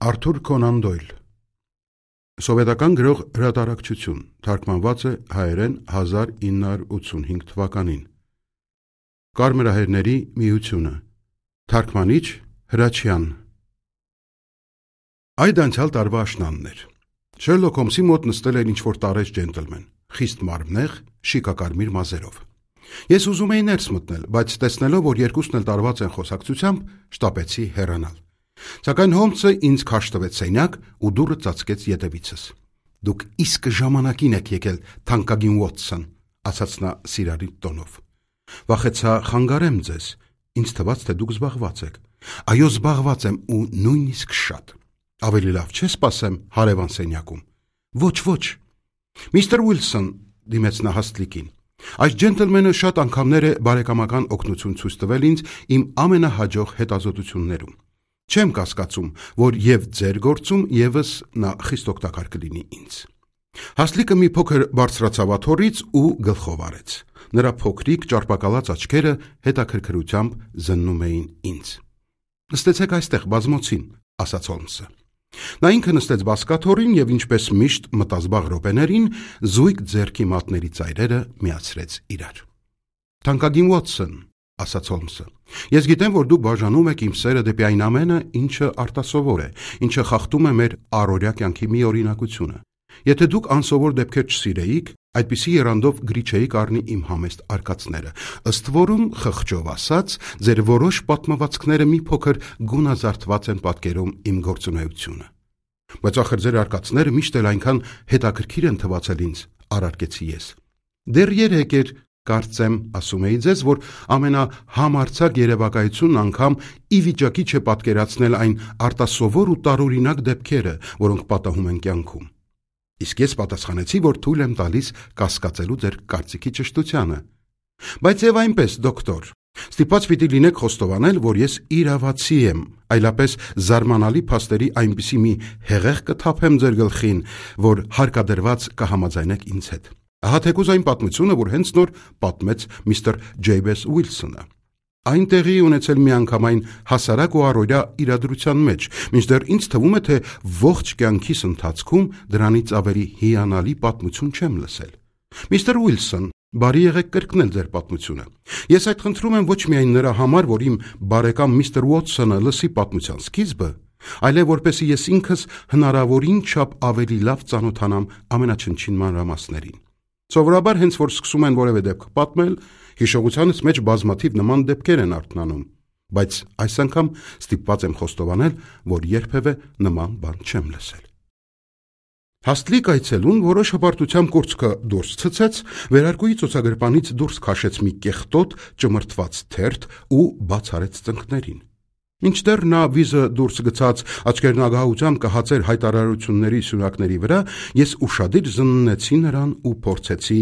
Արթուր Կոնան Դոյլ Սովետական գրող հրատարակչություն, թարգմանված է հայերեն 1985 թվականին։ Կարմրահերների միությունը, թարգմանիչ Հրաչյան։ Այդ անցյալ տարվա աշնանն էր։ Շերլոք Հոլմսի մոտ նստել էր ինչ-որ տարեց ջենտլմեն, խիստ մարմնեղ, շիկակարմիր մազերով։ Ես ուզում էի ներս մտնել, բայց տեսնելով, որ երկուսն էլ տարված են խոսակցությամբ, շտապեցի հեռանալ։ Սակայն Հոլմսը ինձ քաշ տվեց սենյակ ու դուռը ծածկեց ետևիցս։ Դուք իսկ ժամանակին եք եկել, թանկագին Ուոտսոն, ասաց նա սիրալիր տոնով։ Վախեցա խանգարեմ ձեզ, ինձ թվաց, թե դուք զբաղված եք։ Այո, զբաղված եմ ու նույնիսկ շատ։ Ավելի լավ չէ սպասեմ հարևան սենյակում։ Ոչ։ Միստր Ուիլսոն, դիմեց նա հաստլիկին։ Այս ջենտլմենը շատ անգամներ է բարեկամական օգնություն ցույց տվել ինձ իմ ամենահաջող հետազոտություններում։ Չեմ կասկածում, որ եւ ձեր գործում եւս նա խիստ օգտակար կլինի ինձ։ Հաստլիկը մի փոքր բարձրացավ աթոռից ու գլխով արեց։ Նրա փոքրիկ ճարպակալած աչքերը հետաքրքրությամբ զննում էին ինձ։ Նստեցեք այստեղ բազմոցին, ասաց Հոլմսը։ Նա ինքը նստեց բազկաթոռին եւ ինչպես միշտ մտազբաղ րոպեներին զույգ ձեռքի մատների ծայրերը միացրեց իրար։ Թանկագին Ուոտսոն, ասաց Հոլմսը, ես գիտեմ, որ դուք բաժանում եք իմ սերը դեպի այն ամենը, ինչը արտասովոր է, ինչը խախտում է մեր առօրյա կյանքի մի օրինակությունը։ Եթե դուք անսովոր դեպքեր չսիրեիք, այդպիսի եռանդով գրի չէիք առնի իմ համեստ արկածները։ Ըստ որում, խղճով ասած, ձեր որոշ պատմվածքները մի փոքր գունազարդված են պատկերում իմ գործունեությունը։ Բայց ախր ձեր արկածները միշտ էլ այնքան հետաքրքիր են թվացել ինձ, առարկեցի ես։ Դեռ երեկ էր, կարծեմ, ասում էի ձեզ, որ ամենահամարձակ երևակայությունն անգամ ի վիճակի չէ պատկերացնել այն արտասովոր ու տարօրինակ դեպքերը, որոնք պատահում են կյանքում։ Իսկ ես պատասխանեցի, որ թույլ եմ տալիս կասկածելու ձեր կարծիքի ճշտությանը։ Բայց եւ այնպես, դոկտոր, ստիպված պիտի լինեք խոստովանել, որ ես իրավացի եմ, այլապես զարմանալի փաստերի այնպիսի մի հեղեղ կթափեմ ձեր գլխին, որ հարկադրված կհամաձայնեք ինձ հետ։ Ահա թեկուզ այն պատմությունը, որ հենց նոր պատմեց միստր Ջեյբես Ուիլսոնը։ Այն տեղի ունեցել միանգամայն հասարակ ու առօրյա իրադրության մեջ, մինչդեռ ինձ թվում է, թե ողջ կյանքիս ընթացքում դրանից ավելի հիանալի պատմություն չեմ լսել։ Միստր Ուիլսոն, բարի եղեք կրկնել ձեր պատմությունը։ Ես այդ խնդրում եմ ոչ միայն նրա համար, որ իմ բարեկամ միստր Ուոտսոնը լսի պատմության սկիզբը, այլև որպեսզի ես ինքս հնարավորին չափ ավելի լավ ծանոթանամ ամենաչնչին մանրամասներին։ Սովորաբար հենց որ սկսում են որևէ դեպք պատմել, հիշողությանս մեջ բազմաթիվ նման դեպքեր են արթնանում, բայց այս անգամ ստիպված եմ խոստովանել, որ երբևէ նման բան չեմ լսել։ Հաստլիկ այցելուն որոշ հպարտությամբ կուրծքը դուրս ցցեց, վերարկուի ծոցագրպանից դուրս քաշեց մի կեղտոտ ճմրթված թերթ ու բաց արեց ծնկներին։ Մինչդեռ նա վիզը դուրս գցած աչքերն ագահությամբ կհացեր հայտարարությունների սյունակների վրա, ես ուշադիր զննեցի նրան ու փորձեցի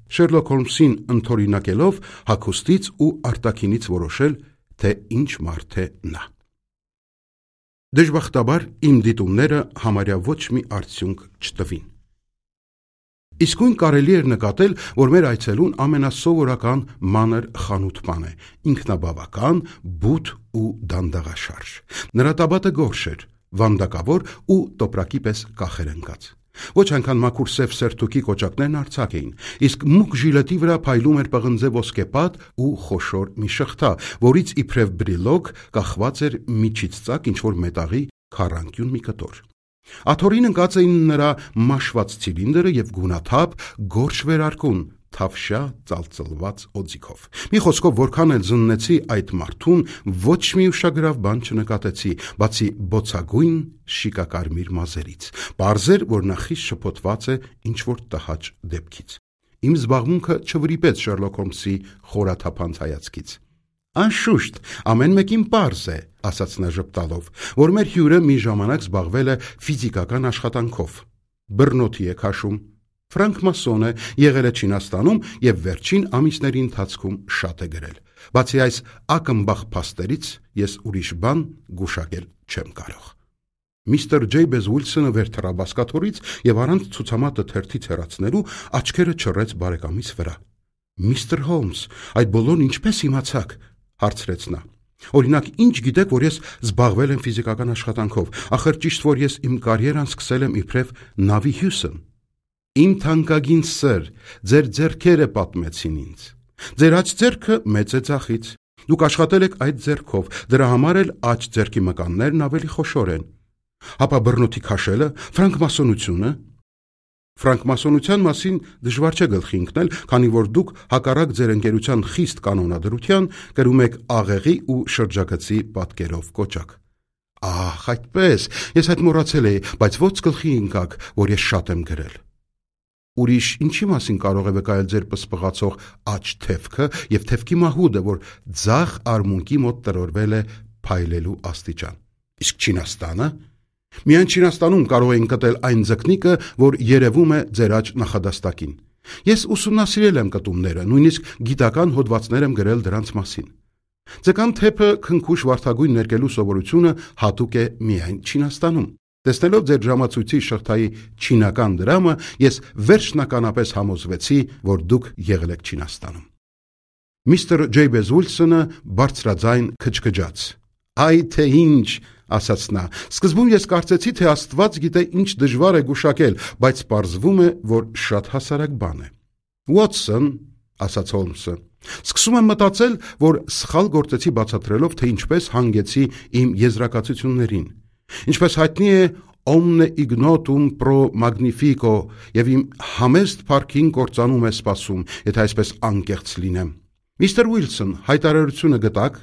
Շերլոք Հոլմսին ընդօրինակելով հագուստից ու արտաքինից որոշել, թե ինչ մարդ է նա։ Դժբախտաբար իմ դիտումները համարյա ոչ մի արդյունք չտվին։ Իսկույն կարելի էր նկատել, որ մեր այցելուն ամենասովորական մանր խանութ-պան է, ինքնաբավական, բութ ու դանդաղաշարժ։ Նրա տաբատը գորշ էր, վանդակավոր ու տոպրակի պես կախեր ընկած։ Ոչ այնքան մաքուր սև սերթուքի կոճակներն արձակ էին, իսկ մուգ ժիլետի վրա փայլում էր պղնձե ոսկեպատ ու խոշոր մի շղթա, որից իբրև բրիլոկ կախված էր միջից ծակ ինչ-որ մետաղի քառանկյուն մի կտոր։ Աթոռին ընկած էին նրա մաշված ցիլինդրը եւ գունաթափ գորշ վերարկուն, թավշյա ծալծլված օձիքով։ Մի խոսքով, որքան էլ զննեցի այդ մարդուն, ոչ մի ուշագրավ բան չնկատեցի, բացի բոցագույն շիկակարմիր մազերից։ Պարզ էր, որ նա խիստ շփոթված է ինչ-որ տհաճ դեպքից։ Իմ զբաղմունքը չվրիպեց Շերլոք Հոլմսի խորաթափանց հայացքից։ Անշուշտ, ամեն մեկին պարզ է, ասաց նա ժպտալով, որ մեր հյուրը մի ժամանակ զբաղվել է ֆիզիկական աշխատանքով։ Բռնոթի է քաշում, ֆրանկմասոն է, եղել է Չինաստանում եւ վերջին ամիսների ընթացքում շատ է գրել։ Բացի այս ակնբախ փաստերից ես ուրիշ բան գուշակել չեմ կարող։ Միստր Ջեյբես Ուիլսոնը վեր թռավ բազկաթոռից եւ առանց ցուցամատը թերթից հեռացնելու աչքերը չռեց բարեկամից վրա։ Միստր Հոլմս, այդ բոլորն ինչպես իմացաք, հարցրեց նա։ Օրինակ, ինչ գիտեք, որ ես զբաղվել եմ ֆիզիկական աշխատանքով, ախր ճիշտ որ ես իմ կարիերան սկսել եմ իբրև նավի հյուսն։ Իմ թանկագին սր, ձեր ձեռքերը պատմեցին ինձ։ Ձեր աջ ձեռքը մեծ է ձախից։ Դուք աշխատել եք այդ ձեռքով, դրա համար էլ աջ ձեռքի մկաններն ավելի խոշոր են։ Հապա բռնոթի քաշելը, ֆրանկմասոնությունը։ Ֆրանկմասոնության մասին դժվար չէ գլխի ընկնել, քանի որ դուք հակառակ ձեր ընկերության խիստ կանոնադրության կրում եք աղեղի ու շրջագծի պատկերով կոճակ։ Ահ, այդպես, ես այդ մոռացել էի, բայց ո՞ց գլխի ընկաք, որ ես շատ եմ գրել։ Ուրիշ ինչի մասին կարող է վկայել ձեր պսպղացող աջ թևքը եւ թևքի մահուդը, որ ձախ արմունկի մոտ տրորվել է փայլելու աստիճան։ Իսկ Չինաստանը։ Միայն Չինաստանում կարող էին գտել այն ձկնիկը, որ երևում է ձեր աջ նախադաստակին։ Ես ուսումնասիրել եմ կտումները, նույնիսկ գիտական հոդվածներ եմ գրել դրանց մասին։ Ձկան թեփը քնքուշ վարդագույն ներկելու սովորությունը հատուկ է միայն Չինաստանում։ Տեսնելով ձեր ժամացույցի շղթայի չինական դրամը, ես վերջնականապես համոզվեցի, որ դուք եղել եք Չինաստանում։ Միստր Ջեյբեզ Ուիլսոնը բարձրաձայն քչքջաց։ Այ թե ինչ, ասաց նա, սկզբում ես կարծեցի, թե Աստված գիտե ինչ դժվար է գուշակել, բայց պարզվում է, որ շատ հասարակ բան է։ Ուոտսոն, ասաց Հոլմսը, սկսում եմ մտածել, որ սխալ գործեցի բացատրելով, թե ինչպես հանգեցի իմ եզրակացություններին։ Ինչպես հայտնի է, Omne ignotum pro magnifico եւ իմ համեստ փառքին կործանում է սպասում, եթե այսպես անկեղծ լինեմ։ Միստր Ուիլսոն, հայտարարությունը գտաք։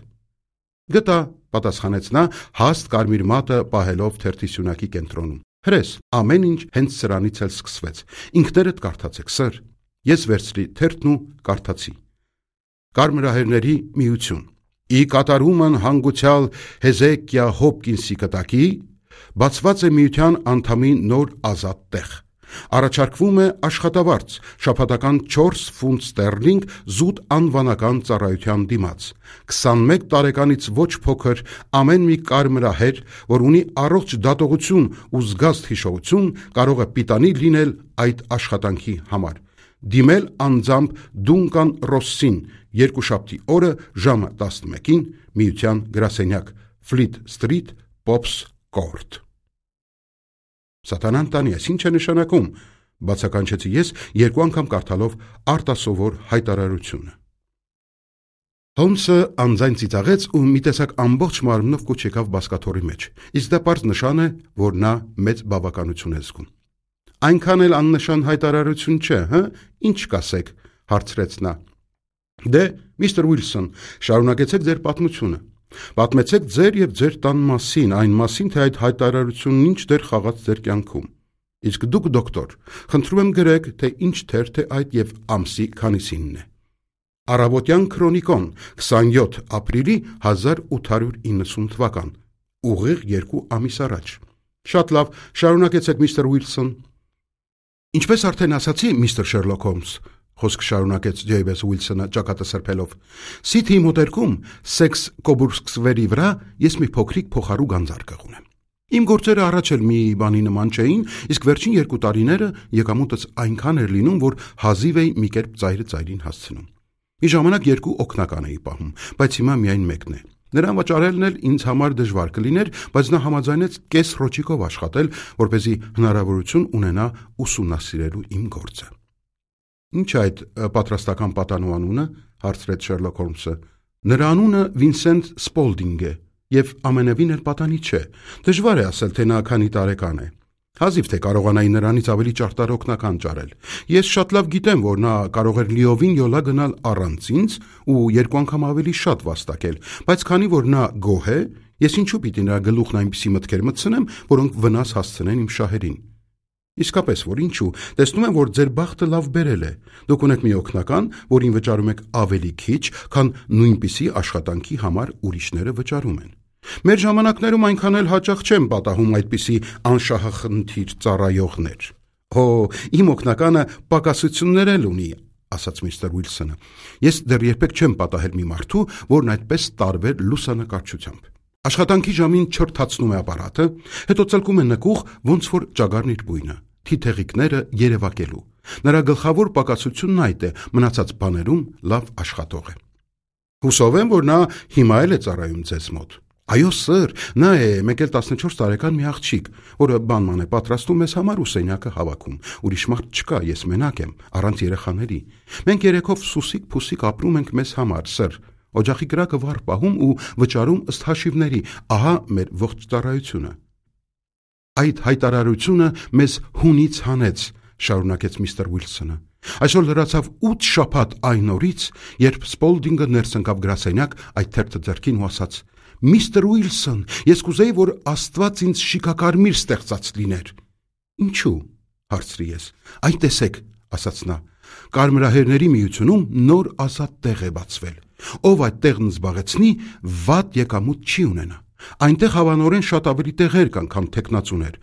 Գտա, պատասխանեց նա, հաստ կարմիր մատը պահելով թերթի սյունակի կենտրոնում։ Հրես, ամեն ինչ հենց սրանից էլ սկսվեց։ Ինքներդ կարդացեք, սր։ Ես վերցրի թերթն ու կարդացի։ Կարմրահերների միություն։ Ի կատարումն հանգուցյալ Հեզեկիա Հոփկինսի կտակի բացված է միության անդամի նոր ազատ տեղ։ Առաջարկվում է աշխատավարձ, շաբաթական 4 ֆունտ ստերլինգ զուտ անվանական ծառայության դիմաց։ 21 տարեկանից ոչ փոքր ամեն մի կարմրահեր, որ ունի առողջ դատողություն ու զգաստ հիշողություն, կարող է պիտանի լինել այդ աշխատանքի համար։ Դիմել անձամբ Դունկան Ռոսսին երկուշաբթի օրը ժամը 11-ին միության գրասենյակ Ֆլիթ Սթրիթ, Պոփս Կորտ։ Սատանան տանի, այս ինչ է նշանակում, բացականչեցի ես երկու անգամ կարդալով արտասովոր հայտարարությունը։ Հոլմսը անձայն ծիծաղեց ու մի տեսակ ամբողջ մարմնով կուչ եկավ բազկաթոռի մեջ, իսկ դա պարզ նշան է, որ նա մեծ բավականություն է զգում։ Այնքան էլ աննշան հայտարարություն չէ, հը, ինչ կասեք, հարցրեց նա։ Դե, միստր Ուիլսոն, շարունակեցեք ձեր պատմությունը։ Պատմեցեք ձեր եւ ձեր տան մասին, այն մասին, թե այդ հայտարարությունն ինչ դեր խաղաց ձեր կյանքում։ Իսկ դուք, դոկտոր, խնդրում եմ գրեք, թե ինչ թերթ է այդ եւ ամսի քանիսինն է։ Առավոտյան քրոնիկոն, 27 ապրիլի 1890 թվական, ուղիղ 2 ամիս առաջ։ Շատ լավ, շարունակեցեք, միստր Ուիլսոն։ Ինչպես արդեն ասացի, միստր Շերլոկ Հոլմս, խոսք շարունակեց Ջեյբես Ուիլսոնը ճակատը սրբելով, Սիթիի մոտերքում Սեքս Կոբուրսկսվերի վրա ես մի փոքրիկ փոխարու գանձարկղ ունեմ։ Իմ գործերը առաջ էլ մի բանի նման չէին, իսկ վերջին 2 տարիները եկամուտս այնքան էր լինում, որ հազիվ էի մի կերպ ծայրը ծայրին հասցնում։ Մի ժամանակ 2 օգնական էի պահում, բայց հիմա միայն մեկն է։ Նրան վաճառելն էլ ինձ համար դժվար կլիներ, բայց նա համաձայնեց կես ռոճիկով աշխատել, որպեսզի հնարավորություն ունենա ուսումնասիրելու իմ գործը։ Ինչ է այդ պատրաստական պատանու անունը, հարցրեց Շերլոկ Հոլմսը։ Նրա անունը Վինսենտ Սպոլդինգ է, եւ ամենևին էլ պատանի չէ։ Դժվար է ասել, թե նա քանի տարեկան է։ Հազիվ թե կարողանայի նրանից ավելի ճարտարօգնական ճարել։ Ես շատ լավ գիտեմ, որ նա կարող էր լիովին յոլա գնալ առանց ինձ ու 2 անգամ ավելի շատ վաստակել, բայց քանի որ նա գոհ է, ես ինչու պիտի նրա գլուխն այնպիսի մտքեր մտցնեմ, որոնք վնաս հասցնեն իմ շահերին։ Իսկապես, որ ինչու, տեսնում եմ, որ ձեր բախտը լավ բերել է։ Դուք ունեք մի օգնական, որին վճարում եք ավելի քիչ, քան նույնպիսի աշխատանքի համար ուրիշները վճարում են։ Մեր ժամանակներում այնքան էլ հաճախ չեն պատահում այդպիսի անշահախնդիր ծառայողներ։ Հո, իմ օգնականը պակասություններ էլ ունի, ասաց միստր Ուիլսոնը։ Ես դեռ երբեք չեմ պատահել մի մարդու, որն այդպես տարվեր լուսանկարչությամբ։ Աշխատանքի ժամին չրթացնում է ապարատը, հետո ծլկում է նկուղ, ոնց որ ճագարն իր բույնը, թիթեղիկները երևակելու։ Նրա գլխավոր պակասությունն այդ է, մնացած բաներում լավ աշխատող է։ Հուսով եմ, որ նա հիմա էլ է ծառայում ձեզ մոտ։ Այո, սըր, նա է 14 տարեկան մի աղջիկ, որը բանման է պատրաստում մեզ համար ու սենյակը հավաքում։ Ուրիշ մարդ չկա, ես մենակ եմ, առանց երեխաների։ Մենք երեքով սուսիկ-փուսիկ ապրում ենք մեզ համար, սըր։ Օջախի կրակը վառ պահում ու վճարում ըստ հաշիվների։ Ահա մեր ողջ ծառայությունը։ Այդ հայտարարությունը մեզ հունից հանեց, շարունակեց միստր Ուիլսոնը։ Այսօր լրացավ 8 շաբաթ այն օրից, երբ Սպոլդինգը ներս ընկավ գրասենյակ այդ թերթը ձեռքին ու ասաց. «Միստր Ուիլսոն, ես կուզեի, որ Աստված ինձ շիկակարմիր ստեղծած լիներ»։ Ինչու՞, հարցրի ես։ Այ տեսեք, ասաց նա, Կարմրահերների միությունում նոր ազատ տեղ է բացվել։ Ով այդ տեղն զբաղեցնի, վատ եկամուտ չի ունենա։ Այնտեղ հավանորեն շատ ավելի տեղեր կան, քան թեկնածուներ։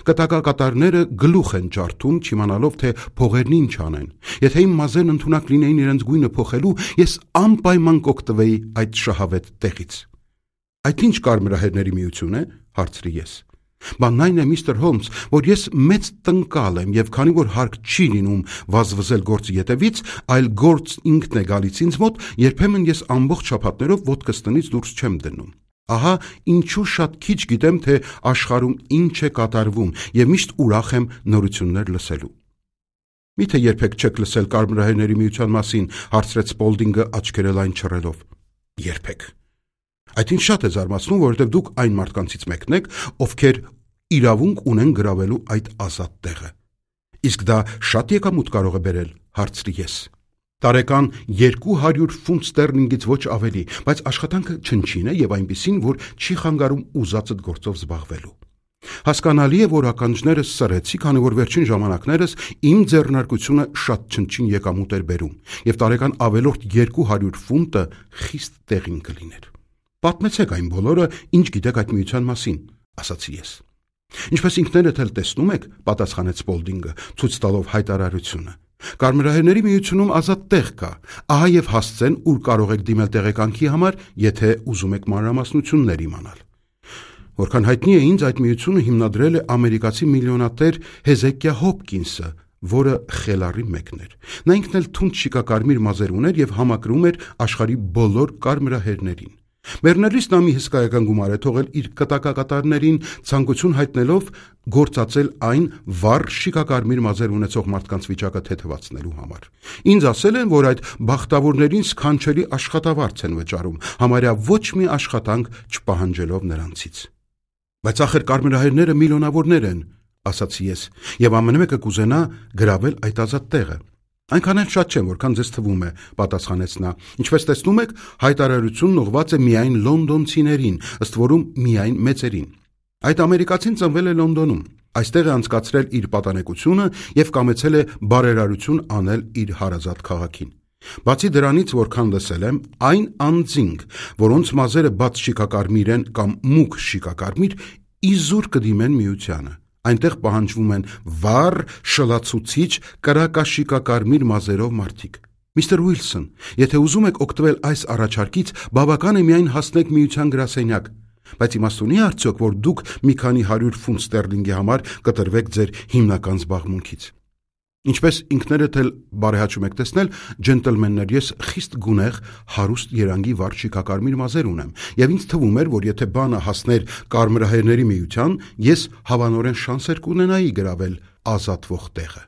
Կտակակատարները գլուխ են ջարդում, չիմանալով, թե փողերն ինչ անեն։ Եթե իմ մազերն ընդունակ լինեին իրենց գույնը փոխելու, ես անպայման կօգտվեի այդ շահավետ տեղից։ Այդ ինչ Կարմրահերների միություն է, հարցրի ես։ Բանն այն է, միստր Հոլմս, որ ես մեծ տնկալ եմ եւ քանի որ հարկ չի լինում վազվզել գործի ետևից, այլ գործ ինքն է գալիս ինձ մոտ, երբեմն ես ամբողջ շաբաթներով ոտքս տնից դուրս չեմ դնում։ Ահա ինչու շատ քիչ գիտեմ, թե աշխարհում ինչ է կատարվում եւ միշտ ուրախ եմ նորություններ լսելու։ Միթե երբեք չեք լսել Կարմրահերների միության մասին, հարցրեց Սպոլդինգը աչքերը լայն չռելով։ Երբեք։ Այդ ինչ շատ է զարմացնում, որովհետև դուք այն մարդկանցից մեկն եք, ովքեր իրավունք ունեն գրավելու այդ ազատ տեղը։ Իսկ դա շատ եկամուտ կարող է բերել, հարցրի ես։ Տարեկան 200 ֆունտ ստերլինգից ոչ ավելի, բայց աշխատանքը չնչին է եւ այնպիսին, որ չի խանգարում ուզածդ գործով զբաղվելու։ Հասկանալի է, որ ականջներս սրեցի, քանի որ վերջին ժամանակներս իմ ձեռնարկությունը շատ չնչին եկամուտ էր բերում եւ տարեկան ավելորդ 200 ֆունտը խիստ տեղին կլիներ։ Պատմեցեք այն բոլորը, ինչ գիտեք այդ միության մասին, ասացի ես։ Ինչպես ինքներդ էլ տեսնում եք, պատասխանեց Սպոլդինգը, ցույց տալով հայտարարությունը։ Կարմրահերների միությունում ազատ տեղ կա, ահա եւ հասցեն, ուր կարող եք դիմել տեղեկանքի համար, եթե ուզում եք մանրամասնություններ իմանալ։ Որքան հայտնի է ինձ, այդ միությունը հիմնադրել է ամերիկացի միլիոնատեր Հեզեկիա Հոփկինսը, որը խելառի մեկն էր։ Նա ինքն էլ թունդ շիկակարմիր մազեր ուներ եւ համակրում էր աշխարհի բոլոր կարմրահերներին։ Մեռնելիս նա մի հսկայական գումար է թողել իր կտակակատարներին, ցանկություն հայտնելով գործածել այն վառ շիկակարմիր մազեր ունեցող մարդկանց վիճակը թեթևացնելու համար։ Ինձ ասել են, որ այդ բախտավորներին սքանչելի աշխատավարձ են վճարում, համարյա ոչ մի աշխատանք չպահանջելով նրանցից։ Բայց ախր կարմրահերները միլիոնավորներ են, ասացի ես, եւ ամեն մեկը կուզենա գրավել այդ ազատ տեղը։ Այնքան էլ շատ չեմ, որքան ձեզ թվում է, պատասխանեց նա։ Ինչպես տեսնում եք, հայտարարությունն ուղղված է միայն լոնդոնցիներին, ըստ որում միայն մեծերին։ Այդ ամերիկացին ծնվել է Լոնդոնում, այստեղ է անցկացրել իր պատանեկությունը եւ կամեցել է բարերարություն անել իր հարազատ քաղաքին։ Բացի դրանից, որքան լսել եմ, այն անձինք, որոնց մազերը բաց շիկակարմիր են կամ մուգ շիկակարմիր, իզուր կդիմեն միությանը։ Այնտեղ պահանջվում են վառ, շլացուցիչ, կրակաշիկակարմիր մազերով մարդիկ։ Միստր Ուիլսոն, եթե ուզում եք օգտվել այս առաջարկից, բավական է միայն հասնեք միության գրասենյակ, բայց իմաստ ունի արդյոք, որ դուք մի քանի 100 ֆունտ ստերլինգի համար կտրվեք ձեր հիմնական զբաղմունքից։ Ինչպես ինքներդ էլ բարեհաճում եք տեսնել, ջենտլմեններ, ես խիստ գունեղ, հարուստ երանգի վառ շիկակարմիր մազեր ունեմ, եւ ինձ թվում էր, որ եթե բանը հասներ Կարմրահերների միության, ես հավանորեն շանսեր կունենայի գրավել ազատվող տեղը։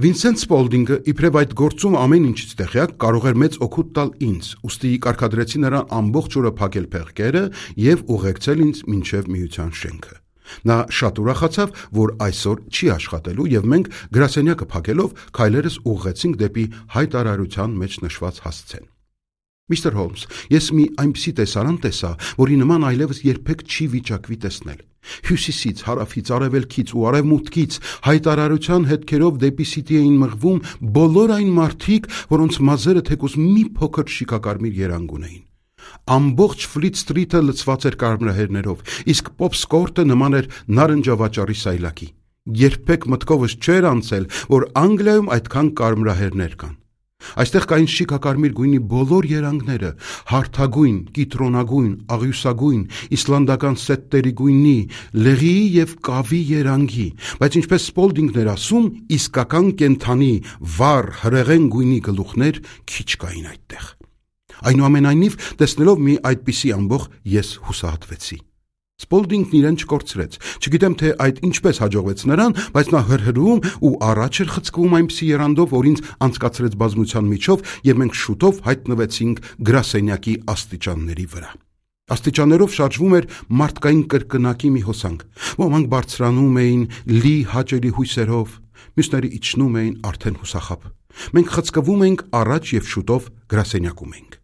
Վինսենտ Սպոլդինգը, իբրև այդ գործում ամեն ինչից տեղյակ, կարող էր մեծ օգուտ տալ ինձ, ուստի կարգադրեցի նրան ամբողջ օրը փակել փեղկերը եւ ուղեկցել ինձ մինչեւ միության շենքը։ Նա շատ ուրախացավ, որ այսօր չի աշխատելու եւ մենք գրասենյակը փակելով քայլերս ուղղեցինք դեպի հայտարարության մեջ նշված հասցեն։ Միստր Հոլմս, ես մի այնպիսի տեսարան տեսա, որի նման այլևս երբեք չի վիճակվի տեսնել։ Հյուսիսից, հարավից, արևելքից ու արևմուտքից հայտարարության հետքերով դեպի Սիթի էին մղվում բոլոր այն մարդիկ, որոնց մազերը թեկուզ մի փոքր շիկակարմիր երանգ ունեին։ Ամբողջ Ֆլիթ Սթրիթը լցված էր կարմրահերներով, իսկ Պոփս Կորտը նման էր նարնջավաճառի սայլակի։ Երբեք մտքովս չէր անցել, որ Անգլիայում այդքան կարմրահերներ կան։ Այստեղ կային շիկակարմիր գույնի բոլոր երանգները՝ հարթագույն, կիտրոնագույն, աղյուսագույն, իսլանդական սետտերի գույնի, լեղիի եւ կավի երանգի, բայց ինչպես Սպոլդինգն էր ասում, իսկական կենդանի, վառ, հրեղեն գույնի գլուխներ քիչ կային այդտեղ։ Այնուամենայնիվ, տեսնելով մի այդպիսի ամբոխ, ես հուսահատվեցի։ Սպոլդինգն իրեն չկորցրեց։ Չգիտեմ, թե այդ ինչպես հաջողվեց նրան, բայց նա հրհրում ու առաջ էր խցկվում այնպիսի եռանդով, որ ինձ անցկացրեց բազմության միջով, եւ մենք շուտով հայտնվեցինք գրասենյակի աստիճանների վրա։ Աստիճաններով շարժվում էր մարդկային կրկնակի մի հոսանք։ Ոմանք բարձրանում էին լի հաճելի հույսերով, մյուսները իջնում էին արդեն հուսախաբ։ Մենք խցկվում էինք առաջ եւ շուտով գրասենյակում էինք։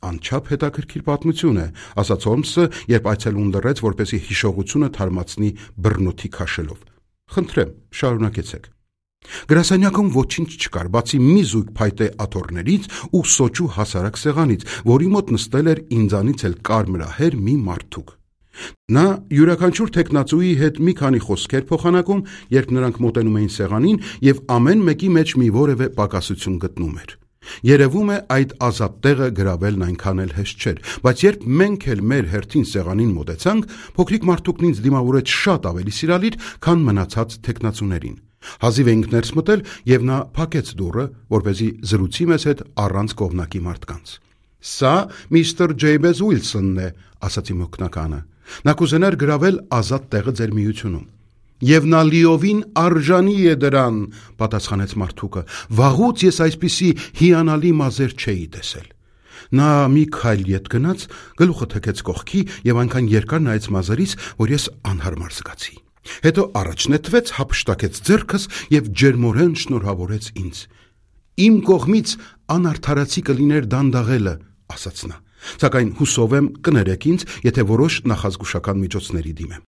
Անչափ հետաքրքիր պատմություն է, ասաց Հոլմսը, երբ այցելուն լռեց, որպեսզի հիշողությունը թարմացնի բռնոթի քաշելով։ Խնդրեմ, շարունակեցեք։ Գրասենյակում ոչինչ չկար, բացի մի զույգ փայտե աթոռներից ու սոճու հասարակ սեղանից, որի մոտ նստել էր ինձանից էլ կարմրահեր մի մարդուկ։ Նա յուրաքանչյուր թեկնածուի հետ մի քանի խոսքեր փոխանակում, երբ նրանք մոտենում էին սեղանին, եւ ամեն մեկի մեջ մի որևէ պակասություն գտնում էր։ Երևում է այդ ազատ տեղը գրավելն այնքան էլ հեշտ չէր, բայց երբ մենք էլ մեր հերթին սեղանին մոտեցանք, փոքրիկ մարդուկն ինձ դիմավորեց շատ ավելի սիրալիր, քան մնացած թեկնածուներին։ Հազիվ էինք ներս մտել, եւ նա փակեց դուռը, որպեսզի զրուցի մեզ հետ առանց կողմնակի մարդկանց։ Սա միստր Ջեյմս Ուիլսոնն է, ասացի մոգնականը։ Նա կուզենար գրավել ազատ տեղը ձեր միությունում։ Եվ նա լիովին արժանի է դրան, պատասխանեց մարդուկը։ Վաղուց ես այսպիսի հիանալի մազեր չէի տեսել։ Նա մի քայլ ետ գնաց, գլուխը թեքեց կողքի եւ այնքան երկար նայեց մազերիս, որ ես անհարմար զգացի։ Հետո առաջ նետվեց, հափշտակեց ձեռքս եւ ջերմորեն շնորհավորեց ինձ։ Իմ կողմից անարդարացի կլիներ դանդաղելը, ասաց նա։ Սակայն հուսով եմ կներեք ինձ, եթե որոշ նախազգուշական միջոցների դիմեմ։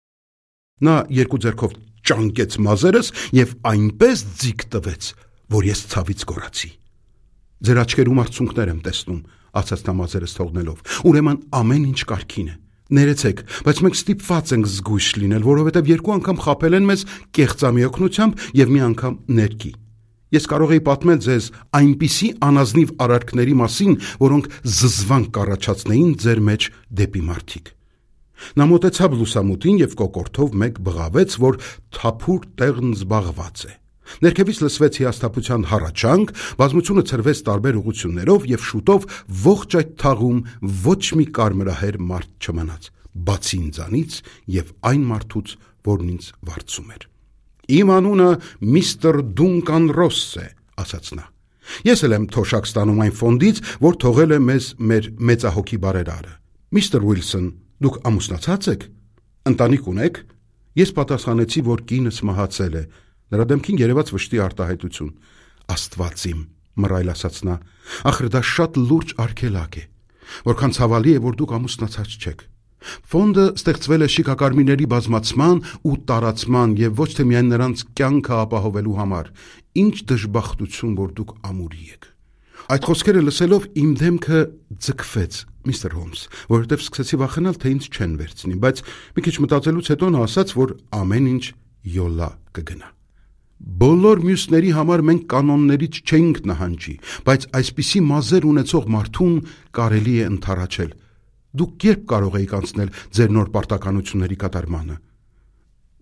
Նա երկու ձեռքով ճանկեց մազերս եւ այնպես ձիգ տվեց, որ ես ցավից գոռացի։ Ձեր աչքերում արցունքներ եմ տեսնում, ասաց նա մազերս թողնելով։ Ուրեմն ամեն ինչ կարգին է։ Ներեցեք, բայց մենք ստիպված ենք զգույշ լինել, որովհետև երկու անգամ խաբել են մեզ կեղծամի օգնությամբ եւ մի անգամ ներքի։ Ես կարող էի պատմել ձեզ այնպիսի անազնիվ արարքների մասին, որոնք զզվանք կառաջացնեին ձեր մեջ դեպի մարդիկ։ Նա մոտեցավ լուսամուտին եւ կոկորդով մեկ բղավեց, որ թափուր տեղն զբաղված է։ Ներքևից լսվեց հիասթափության հառաչանք, բազմությունը ցրվեց տարբեր ուղություններով եւ շուտով ողջ այդ թաղում ոչ մի կարմրահեր մարդ չմնաց, բացի ինձանից եւ այն մարդուց, որն ինձ վարձում էր։ Իմ անունը միստր Դունկան Ռոս է, ասաց նա։ Ես էլ եմ թոշակ ստանում այն ֆոնդից, որ թողել է մեզ մեր մեծահոգի բարերարը։ Միստր Ուիլսոն, դուք ամուսնացած եք։ Ընտանիք ունեք։ Ես պատասխանեցի, որ կինս մահացել է։ Նրա դեմքին երևաց վշտի արտահայտություն։ Աստված իմ, մռայլ ասաց նա, ախր դա շատ լուրջ արգելակ է։ Որքան ցավալի է, որ դուք ամուսնացած չեք։ Ֆոնդը ստեղծվել է շիկակարմիրների բազմացման ու տարածման եւ ոչ թե միայն նրանց կյանքը ապահովելու համար։ Ինչ դժբախտություն, որ դուք ամուրի եք։ Այդ խոսքերը լսելով իմ դեմքը ձգվեց, միստր Հոլմս, որովհետև սկսեցի վախենալ, թե ինձ չեն վերցնի, բայց մի քիչ մտածելուց հետո նա ասաց, որ ամեն ինչ յոլա կգնա։ Բոլոր մյուսների համար մենք կանոններից չենք նահանջի, բայց այսպիսի մազեր ունեցող մարդուն կարելի է ընդառաջել։ Դուք երբ կարող եք անցնել ձեր նոր պարտականությունների կատարմանը։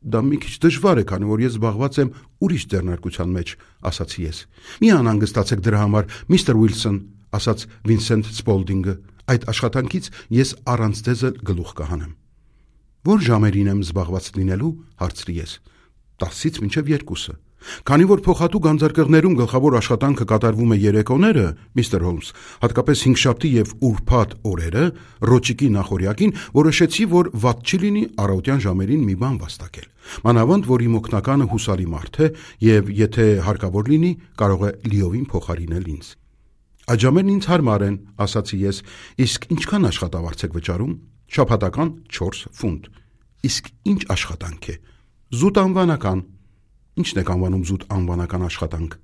Դա մի քիչ դժվար է, քանի որ ես զբաղված եմ ուրիշ ձեռնարկության մեջ, ասացի ես։ Մի անհանգստացեք դրա համար, միստր Ուիլսոն, ասաց Վինսենտ Սպոլդինգը։ Այդ աշխատանքից ես առանց ձեզ գլուխ կհանեմ։ Որ ժամերին եմ զբաղված լինելու, հարցրի ես։ 10-ից մինչև 2-ը։ Քանի որ փոխատու գանձարկղներում գլխավոր աշխատանքը կատարվում է երեկոները, միստր Հոլմս, հատկապես հինգշաբթի եւ ուրբաթ օրերը, ռոճիկի նախօրյակին, որոշեցի, որ վատ չի լինի առավոտյան ժամերին մի բան վաստակել։ Մանավանդ, որ իմ օգնականը հուսալի մարդ է եւ եթե հարկավոր լինի, կարող է լիովին փոխարինել ինձ։ Այդ ժամերն ինձ հարմար են, ասացի ես, իսկ ինչքան աշխատավարձ եք վճարում։ Շաբաթական 4 ֆունտ։ Իսկ ինչ աշխատանք է։ Զուտ անվանական։ Ինչն եք անվանում զուտ անվանական աշխատանք։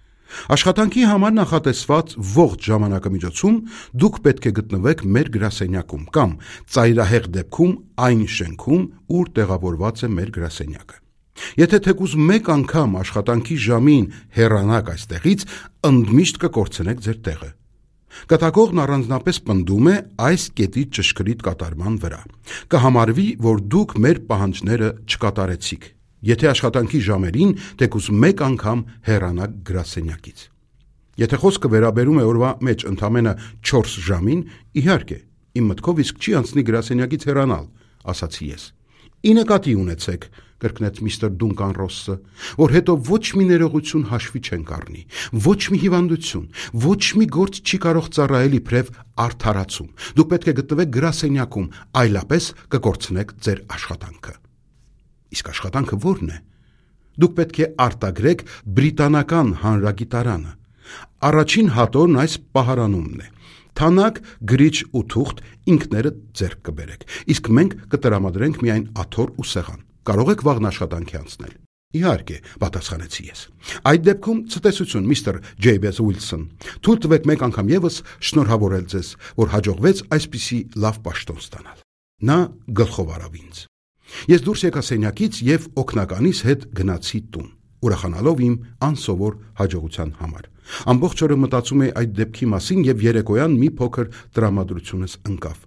Աշխատանքի համար նախատեսված ողջ ժամանակամիջոցում դուք պետք է գտնվեք մեր գրասենյակում կամ ծայրահեղ դեպքում այն շենքում, ուր տեղավորված է մեր գրասենյակը։ Եթե թեկուզ մեկ անգամ աշխատանքի ժամին հեռանաք այստեղից, ընդմիշտ կկորցնեք ձեր տեղը։ Կատակողն առանձնապես պնդում է այս կետի ճշգրիտ կատարման վրա։ Կհամարվի, որ դուք մեր պահանջները չկատարեցիք, եթե աշխատանքի ժամերին թեկուզ մեկ անգամ հեռանաք գրասենյակից։ Եթե խոսքը վերաբերում է օրվա մեջ ընդամենը 4 ժամին, իհարկե, իմ մտքով իսկ չի անցնի գրասենյակից հեռանալ, ասացի ես։ Ի նկատի ունեցեք, կրկնեց միստր Դունկան Ռոսսը, որ հետո ոչ մի ներողություն հաշվի չենք առնի, ոչ մի հիվանդություն, ոչ մի գործ չի կարող ծառայել իբրև արդարացում։ Դուք պետք է գտնվեք գրասենյակում, այլապես կկորցնեք ձեր աշխատանքը։ Իսկ աշխատանքը ո՞րն է։ Դուք պետք է արտագրեք բրիտանական հանրագիտարանը։ Առաջին հատորն այս պահարանումն է։ Թանաք, գրիչ ու թուղթ ինքներդ ձեռք կբերեք, իսկ մենք կտրամադրենք միայն աթոռ ու սեղան։ Կարող եք վաղն աշխատանքի անցնել։ Իհարկե, պատասխանեցի ես։ Այդ դեպքում ցտեսություն, միստր Ջեյբես Ուիլսոն։ Թույլ տվեք մեկ անգամ եւս շնորհավորել ձեզ, որ հաջողվեց այսպիսի լավ պաշտոն ստանալ։ Նա գլխով արավ ինձ։ Ես դուրս եկա սենյակից եւ օգնականիս հետ գնացի տուն, ուրախանալով իմ անսովոր հաջողության համար։ Ամբողջ օրը մտածում էի այդ դեպքի մասին եւ երեկոյան մի փոքր տրամադրությունս ընկավ։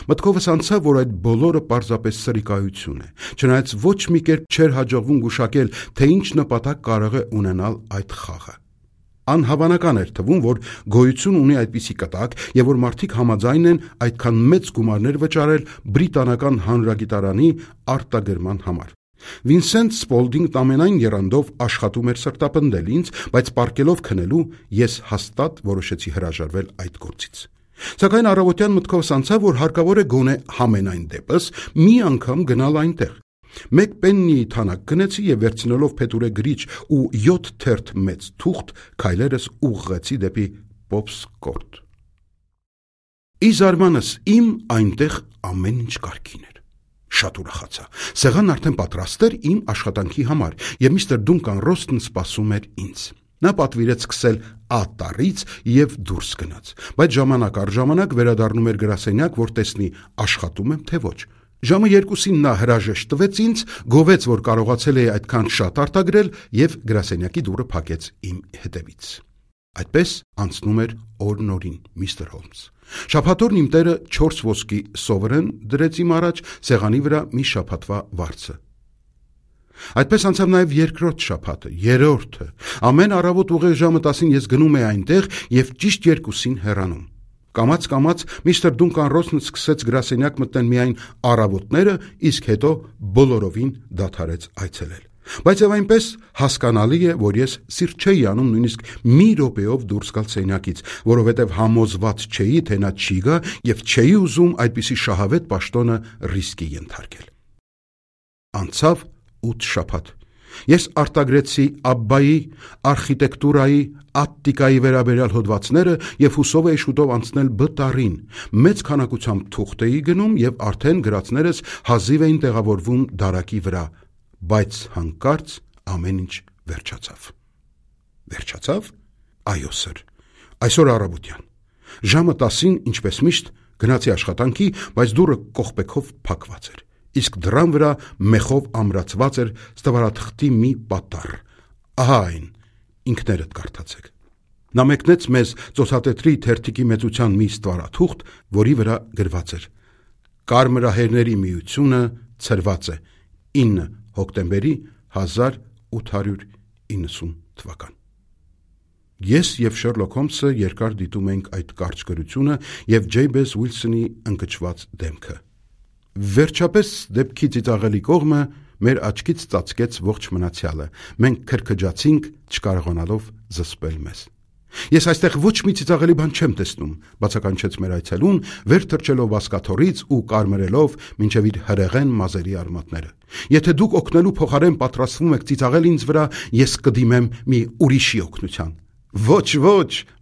Մտքովս անցավ, որ այդ բոլորը պարզապես սրիկայություն է, չնայած ոչ մի կերպ չէր հաջողվում գուշակել, թե ինչ նպատակ կարող է ունենալ այդ խաղը։ Անհավանական էր թվում, որ գոյություն ունի այդպիսի կտակ եւ որ մարդիկ համաձայն են այդքան մեծ գումարներ վճարել բրիտանական հանրագիտարանի արտագրման համար։ Վինսենտ Սպոլդինգն ամենայն եռանդով աշխատում էր սրտապնդել ինձ, բայց պառկելով քնելու ես հաստատ որոշեցի հրաժարվել այդ գործից։ Սակայն առավոտյան մտքովս անցավ, որ հարկավոր է գոնե համենայն դեպս մի անգամ գնալ այնտեղ։ Մեկ պեննի թանակ գնեցի եւ վերցնելով փետուրե գրիչ ու 7 թերթ մեծ թուղթ քայլերս ուղղեցի դեպի Պոպսկորտ։ Ի զարմանս իմ այնտեղ ամեն ինչ կարգին էր։ Շատ ուրախացա։ Սեղանն արդեն պատրաստ էր իմ աշխատանքի համար եւ միստր Դունկան Ռոստն սպասում էր ինձ։ Նա պատվիրեց սկսել ատառից եւ դուրս գնաց, բայց ժամանակ առ ժամանակ վերադառնում էր գրասենյակ, որ տեսնի աշխատում եմ թե ոչ։ Ժամը 2-ին նա հրաժեշտ տվեց ինձ, գովեց, որ կարողացել է այդքան շատ արտագրել եւ գրասենյակի դուռը փակեց իմ հետևից։ Այդպես անցնում էր օրն օրին, միստր Հոլմս։ Շաբաթօրն իմ տերը 4 ոսկի սովրեն դրեց իմ առաջ սեղանի վրա մի շաբաթվա վարձը։ Այդպես անցավ նաև երկրորդ շաբաթը, երրորդը։ Ամեն առավոտ ուղիղ ժամը 10-ին ես գնում էի այնտեղ եւ ճիշտ 2-ին հեռանում։ Կամաց միստր Դունկան Ռոսն սկսեց գրասենյակ մտնել միայն առավոտները, իսկ հետո բոլորովին դադարեց այցելել։ Բայց եւ այնպես հասկանալի է, որ ես սիրտ չէի անում նույնիսկ մի րոպեով դուրս գալ սենյակից, որովհետեւ համոզված չէի, թե նա չի գա եւ չէի ուզում այդպիսի շահավետ պաշտոնը ռիսկի ենթարկել։ Անցավ 8 շաբաթ։ Ես արտագրեցի Աբբայի, արխիտեկտուրայի, ատտիկայի վերաբերյալ հոդվածները եւ հուսով էի շուտով անցնել Բ մեծ քանակությամբ թուղթ էի գնում եւ արդեն գրածներս հազիվ էին տեղավորվում դարակի վրա, բայց հանկարծ ամեն ինչ վերջացավ։ Վերջացավ։ Այո, սր։ Այսօր առավոտյան։ Ժամը 10-ին, ինչպես միշտ, գնացի աշխատանքի, բայց դուռը կողպեքով փակված էր։ Իսկ դռան վրա մեխով ամրացված էր ստվարաթղթի մի պատառ։ Ահա այն, ինքներդ կարդացեք։ Նա մեկնեց մեզ ծոցատետրի թերթիկի մեծության մի ստվարաթուղթ, որի վրա գրված էր. Կարմրահերների միությունը ցրված է 9 հոկտեմբերի 1890 թվական։ Ես եւ Շերլոք Հոլմսը երկար դիտում ենք այդ կարճ գրությունը եւ Ջեյբես Ուիլսոնի ընկճված դեմքը։ Վերջապես դեպքի ծիծաղելի կողմը մեր աչքից ծածկեց ողջ մնացյալը։ Մենք քրքջացինք, չկարողանալով զսպել մեզ։ Ես այստեղ ոչ մի ծիծաղելի բան չեմ տեսնում, բացականչեց մեր այցելուն, վեր թռչելով բազկաթոռից ու կարմրելով մինչև իր հրեղեն մազերի արմատները։ Եթե դուք օգնելու փոխարեն պատրաստվում եք ծիծաղել ինձ վրա, ես կդիմեմ մի ուրիշի օգնության։ Ոչ,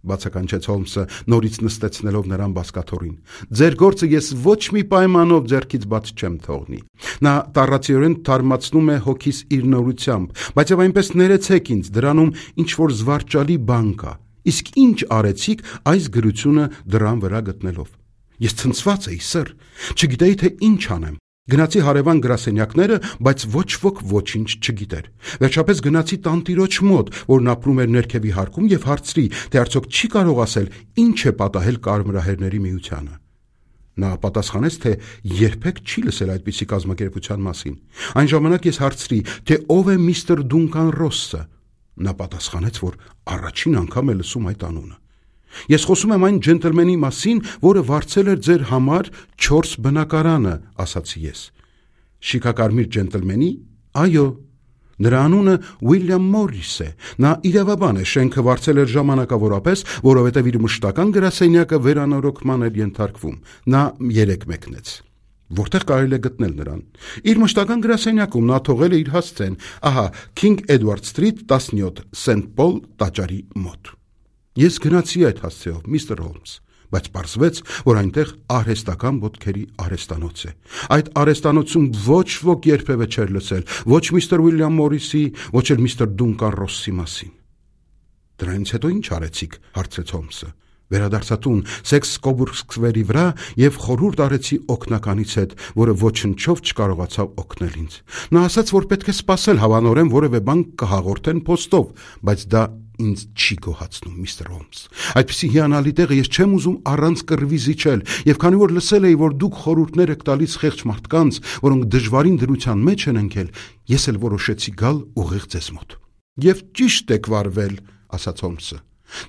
բացականչեց Հոլմսը, նորից նստեցնելով նրան բազկաթոռին։ Ձեր գործը ես ոչ մի պայմանով ձեռքից բաց չեմ թողնի։ Նա տառացիորեն թարմացնում է հոգիս իր նորությամբ, բայց եւ այնպես ներեցեք ինձ, դրանում ինչ որ զվարճալի բան կա։ Իսկ ինչ արեցիք այս գրությունը դրան վրա գտնելով։ Ես ցնցված էի, սր, չգիտեի թե ինչ անեմ։ Գնացի հարևան գրասենյակները, բայց ոչ ոք ոչինչ չգիտեր։ Վերջապես գնացի տանտիրոջ մոտ, որն ապրում էր ներքևի հարկում եւ հարցրի, թե արդյոք չի կարող ասել ինչ է պատահել Կարմրահերների միությանը։ Նա պատասխանեց, թե երբեք չի լսել այդպիսի կազմակերպության մասին։ Այն ժամանակ ես հարցրի, թե ով է միստր Դունկան Ռոսսը։ Նա պատասխանեց, որ առաջին անգամ է լսում այդ անունը։ Ես խոսում եմ այն ջենտլմենի մասին, որը վարձել էր ձեր համար 4 բնակարանը, ասացի ես։ Շիկակարմիր ջենտլմենի։ Այո, նրա անունը Ուիլյամ Մորրիս է։ Նա իրավաբան է, շենքը վարձել էր ժամանակավորապես, որովհետև իր մշտական գրասենյակը վերանորոգման էր ենթարկվում։ Նա 3 մեկնեց։ Որտեղ կարելի է գտնել նրան։ Իր մշտական գրասենյակում նա թողել է իր հասցեն, ահա King Edward Street 17 St. Paul տաճարի մոտ։ Ես գնացի այդ հասցեով, միստր Հոլմս, բայց պարզվեց, որ այնտեղ արհեստական ոտքերի արհեստանոց է։ Այդ արհեստանոցում ոչ ոք երբևէ չէր լսել ոչ միստր Ուիլյամ Մորրիսի, ոչ էլ միստր Դունկան Ռոսսի մասին։ Դրանից հետո ինչ արեցիք, հարցրեց Հոլմսը։ Վերադարձա տուն Սեքս Կոբուրգ սկվերի վրա եւ խորհուրդ արեցի օգնականից հետ, որը ոչնչով չկարողացավ օգնել ինձ։ Նա ասաց, որ պետք է սպասել հավանորեն որևէ բան կհաղորդեն փոստով, բայց դա ինձ չի գոհացնում, միստր Հոլմս։ Այդպիսի հիանալի տեղը ես չեմ ուզում առանց կռվի զիջել, եւ քանի որ լսել էի, որ դուք խորհուրդներ եք տալիս խեղճ մարդկանց, որոնք դժվարին դրության մեջ են ընկել, ես էլ որոշեցի գալ ուղիղ ձեզ մոտ։ Եվ ճիշտ եք վարվել, ասաց Հոլմսը։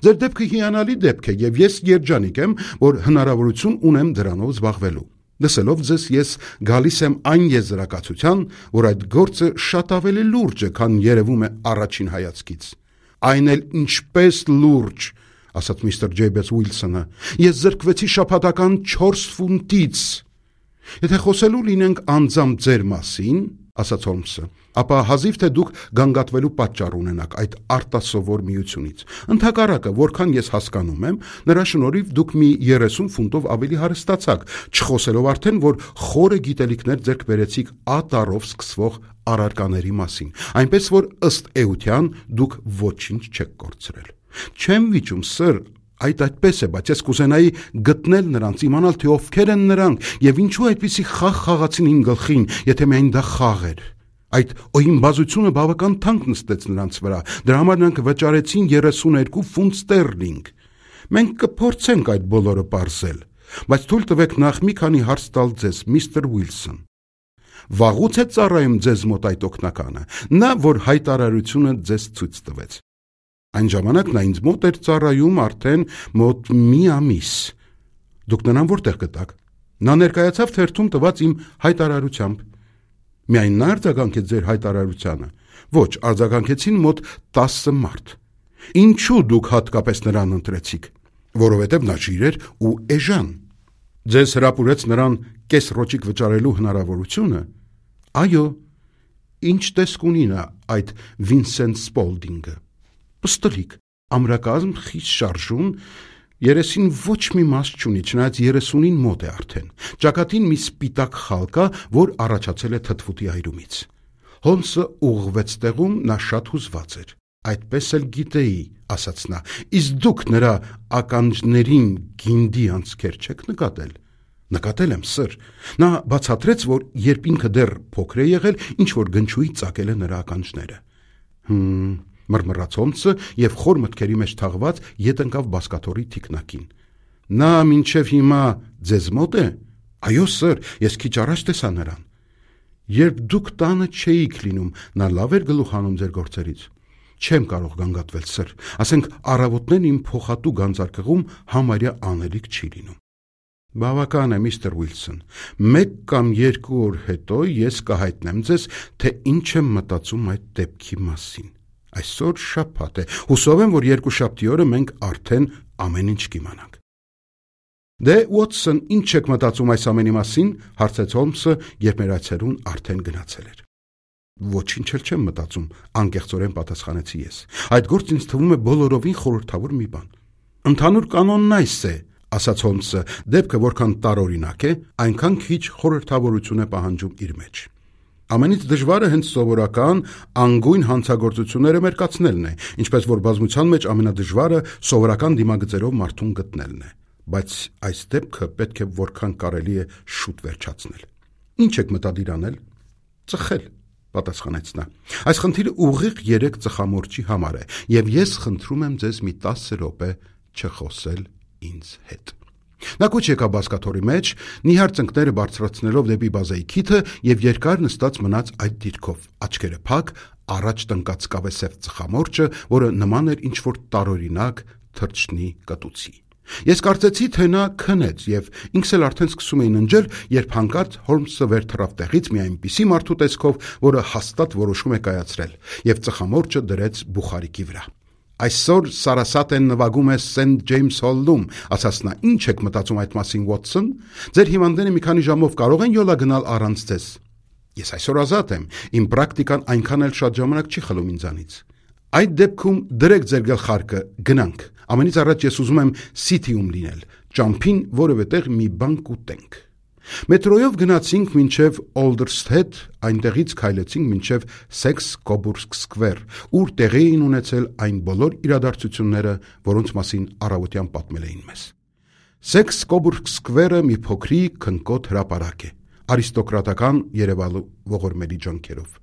Ձեր դեպքը հիանալի դեպք է, եւ ես երջանիկ եմ, որ հնարավորություն ունեմ դրանով զբաղվելու։ Լսելով ձեզ ես գալիս եմ այն եզրակացության, որ այդ գործը շատ ավելի լուրջ է, քան երևում է առաջին հայացքից։ Այն էլ ինչպես լուրջ, ասաց միստր Ջեյբես Ուիլսոնը, ես զրկվեցի շաբաթական 4 ֆունտից։ Եթե խոսելու լինենք անձամբ ձեր մասին, ասաց Հոլմսը, ապա հազիվ թե դուք գանգատվելու պատճառ ունենաք այդ արտասովոր միությունից։ Ընդհակառակը, որքան ես հասկանում եմ, նրա շնորհիվ դուք մի 30 ֆունտով ավելի հարստացաք, չխոսելով արդեն, որ խորը գիտելիքներ ձեռք բերեցիք ատարով սկսվող առարկաների մասին, այնպես որ ըստ էության դուք ոչինչ չեք կորցրել։ Չեմ վիճում, սր, այդպես է, բայց ես կուզենայի գտնել նրանց, իմանալ, թե ովքեր են նրանք եւ ինչու այդպիսի խաղ խաղացին իմ գլխին, եթե միայն դա խաղ էր։ Այդ օյնբազությունը բավական թանկ նստեց նրանց վրա, դրա համար նրանք վճարեցին 32 ֆունտ ստերլինգ։ Մենք կփորձենք այդ բոլորը պարզել, բայց թույլ տվեք նախ մի քանի հարց տալ ձեզ, միստր Ուիլսոն։ Վաղուց է ծառայում ձեզ մոտ այդ օգնականը, նա, որ հայտարարությունը ձեզ ցույց տվեց։ Այն ժամանակ նա ինձ մոտ էր ծառայում արդեն մոտ մի ամիս։ Դուք նրան որտեղ գտաք։ Նա ներկայացավ թերթում տված իմ հայտարարությամբ։ Միայն նա արձագանքեց ձեր հայտարարությանը։ Ոչ, արձագանքեցին մոտ 10 մարդ։ Ինչու դուք հատկապես նրան ընտրեցիք։ Որովհետև նա ջիր էր ու էժան։ Ձեզ հրապուրեց նրան կես ռոճիկ վճարելու հնարավորությունը։ Այո, ինչ տեսք ունի նա այդ Վինսենտ Սպոլդինգը։ Պստլիկ, ամրակազմ, խիստ շարժուն, երեսին ոչ մի մաս չունի, չնայած 30-ին մոտ է արդեն։ Ճակատին մի սպիտակ խալ կա, որ առաջացել է թթվուտի այրումից։ Հոլմսը ուղղվեց տեղում, նա շատ հուզված էր։ Այդպես էլ գիտեի, ասաց նա, իսկ դուք նրա ականջներին գինդի անցքեր չեք նկատել։ Նկատել եմ, սր։ Նա բացատրեց, որ երբ ինքը դեռ փոքր է եղել, ինչ որ գնչուի ծակել է նրա ականջները։ Մռմռաց Հոլմսը եւ խոր մտքերի մեջ թաղված ետ ընկավ բազկաթոռի թիկնակին։ Նա մինչև հիմա ձեզ մոտ է։ Այո, սր, ես քիչ առաջ տեսա նրան։ Երբ դուք տանը չէիք լինում, նա լավ էր գլուխ հանում ձեր գործերից։ Չեմ կարող գանգատվել, սր։ Ասենք առավոտներն իմ փոխատու գանձարկղում համարյա անելիք չի լինում։ Բավական է, միստր Ուիլսոն։ 1 կամ 2 օր հետո ես կհայտնեմ ձեզ, թե ինչ եմ մտածում այդ դեպքի մասին։ Այսօր շաբաթ է։ Հուսով եմ, որ երկուշաբթի օրը մենք արդեն ամեն ինչ կիմանանք։ Դե Ուոտսոն, ինչ եք մտածում այս ամենի մասին, հարցեց Հոլմսը, երբ մեր այցելուն արդեն գնացել էր։ Ոչինչ էլ չեմ մտածում, անկեղծորեն պատասխանեցի ես։ Այդ գործը ինձ թվում է բոլորովին խորհրդավոր մի բան։ Ընդհանուր կանոնն այս է, ասաց Հոլմսը, դեպքը որքան տարօրինակ է, այնքան քիչ խորհրդավորություն է պահանջում իր մեջ։ Ամենից դժվարը հենց սովորական անգույն հանցագործությունները մերկացնելն է, ինչպես որ բազմության մեջ ամենադժվարը սովորական դիմագծերով մարդուն գտնելն է, բայց այս դեպքը պետք է որքան կարելի է շուտ վերջացնել։ Ինչ եք մտադիր անել։ Ծխել, պատասխանեց նա։ Այս խնդիրը ուղիղ 3 ծխամորճի համար է, եւ ես խնդրում եմ ձեզ մի 10 րոպե չխոսել ինձ հետ։ Նա կուչ եկավ բազկաթոռի մեջ, նիհար ծնկները բարձրացնելով դեպի բազայի քիթը եւ երկար նստած մնաց այդ դիրքով, աչքերը փակ, առաջ տնկած կավեսև ծխամորճը, որը նման էր ինչ-որ տարօրինակ թռչնի կտուցի։ Ես կարծեցի, թե նա քնեց եւ ինքս էլ արդեն սկսում էի ննջել, երբ հանկարծ Հոլմսը վեր թռավ տեղից մի այնպիսի մարդու տեսքով, որը հաստատ որոշում է կայացրել, եւ ծխամորճը դրեց բուխարիկի վրա։ Այսօր Սարասատ են նվագում է Սենթ Ջեյմս Հոլում, ասաց նա, ինչ եք մտածում այդ մասին, Ուոտսոն։ Ձեր հիվանդները մի քանի ժամով կարող են յոլա գնալ առանց ձեզ։ Ես այսօր ազատ եմ, իմ պրակտիկան այնքան էլ շատ ժամանակ չի խլում ինձանից։ Այդ դեպքում դրեք ձեր գլխարկը, գնանք։ Ամենից առաջ ես ուզում եմ Սիթիում լինել, ճամփին որևէ տեղ մի բան կուտենք։ Մետրոյով գնացինք մինչև Օլդերսթեդ, այնտեղից քայլեցինք մինչև Սեքս-Կոբուրգ Սկվեր, ուր տեղի էին ունեցել այն բոլոր իրադարձությունները, որոնց մասին առավոտյան պատմել էին մեզ։ Սեքս-Կոբուրգ Սկվերը մի փոքրիկ քնկոտ հրապարակ է, արիստոկրատական Երևանու ողորմելի ջանքերով։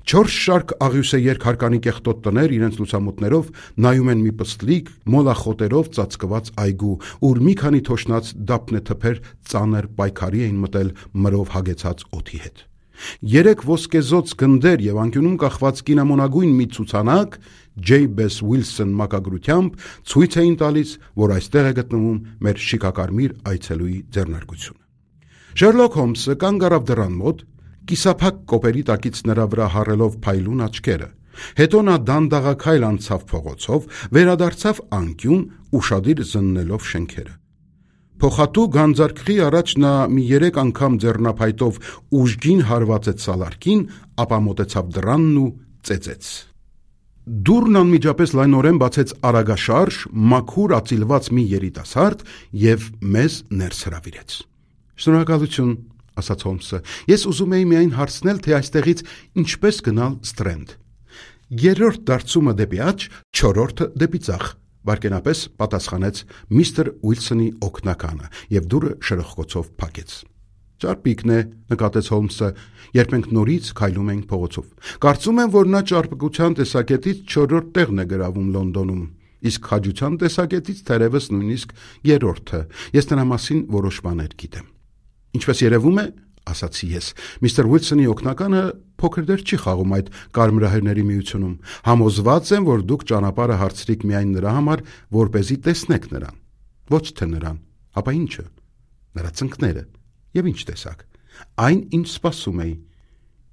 4 շարք աղյուսե երկհարկանի կեղտոտ տներ իրենց լուսամուտներով նայում են մի պստլիկ մոլախոտերով ծածկված այգու, ուր մի քանի թոշնած դափնեթփեր ծանր պայքարի էին մտել մրով հագեցած օդի հետ։ 3 ոսկեզոծ գնդեր եւ անկյունում կախված կինամոնագույն մի ցուցանակ J.B.S. Wilson մակագրությամբ ցույց էին տալիս, որ այստեղ է գտնվում մեր շիկակարմիր այցելուի ձեռնարկությունը։ Շերլոք Հոլմսը կանգ առավ դռան մոտ, կիսափակ կոպերի տակից նրա վրա հառելով փայլուն աչքերը։ Հետո նա դանդաղաքայլ անցավ փողոցով, վերադարձավ անկյուն, ուշադիր զննելով շենքերը։ Փոխատու գանձարկղի առաջ նա մի 3 անգամ ձեռնափայտով ուժգին հարվածեց սալարկին, ապա մոտեցավ դռանն ու ծեծեց։ Դուռն անմիջապես լայնորեն բացեց արագաշարժ, մաքուր ածիլված մի երիտասարդ եւ մեզ ներս հրավիրեց։ Շնորհակալություն, ասաց Հոլմսը, ես ուզում էի միայն հարցնել, թե այստեղից ինչպես գնալ Սթրենդ։ 3-րդ դարձումը դեպի աջ, 4-րդը դեպի ձախ, վայրկենապես պատասխանեց միստր Ուիլսոնի օգնականը եւ դուռը շրխկոցով փակեց։ Ճարպիկն է, նկատեց Հոլմսը, երբ մենք նորից քայլում էինք փողոցով։ Կարծում եմ, որ նա ճարպկության տեսակետից 4-րդ տեղն է գրավում Լոնդոնում, իսկ քաջության տեսակետից թերևս նույնիսկ 3-րդը։ Ես նրա մասին որոշ բաներ գիտեմ։ Ինչպես երևում է, ասացի ես, միստր Ուիլսոնի օգնականը փոքր դեր չի խաղում այդ կարմրահերների միությունում։ Համոզված եմ, որ դուք ճանապարհը հարցրիք միայն նրա համար, որպեսզի տեսնեք նրան։ Ոչ թե նրան, ապա ինչը։ Նրա ծնկները։ Եվ ինչ տեսակ։ Այն, ինչ սպասում էի։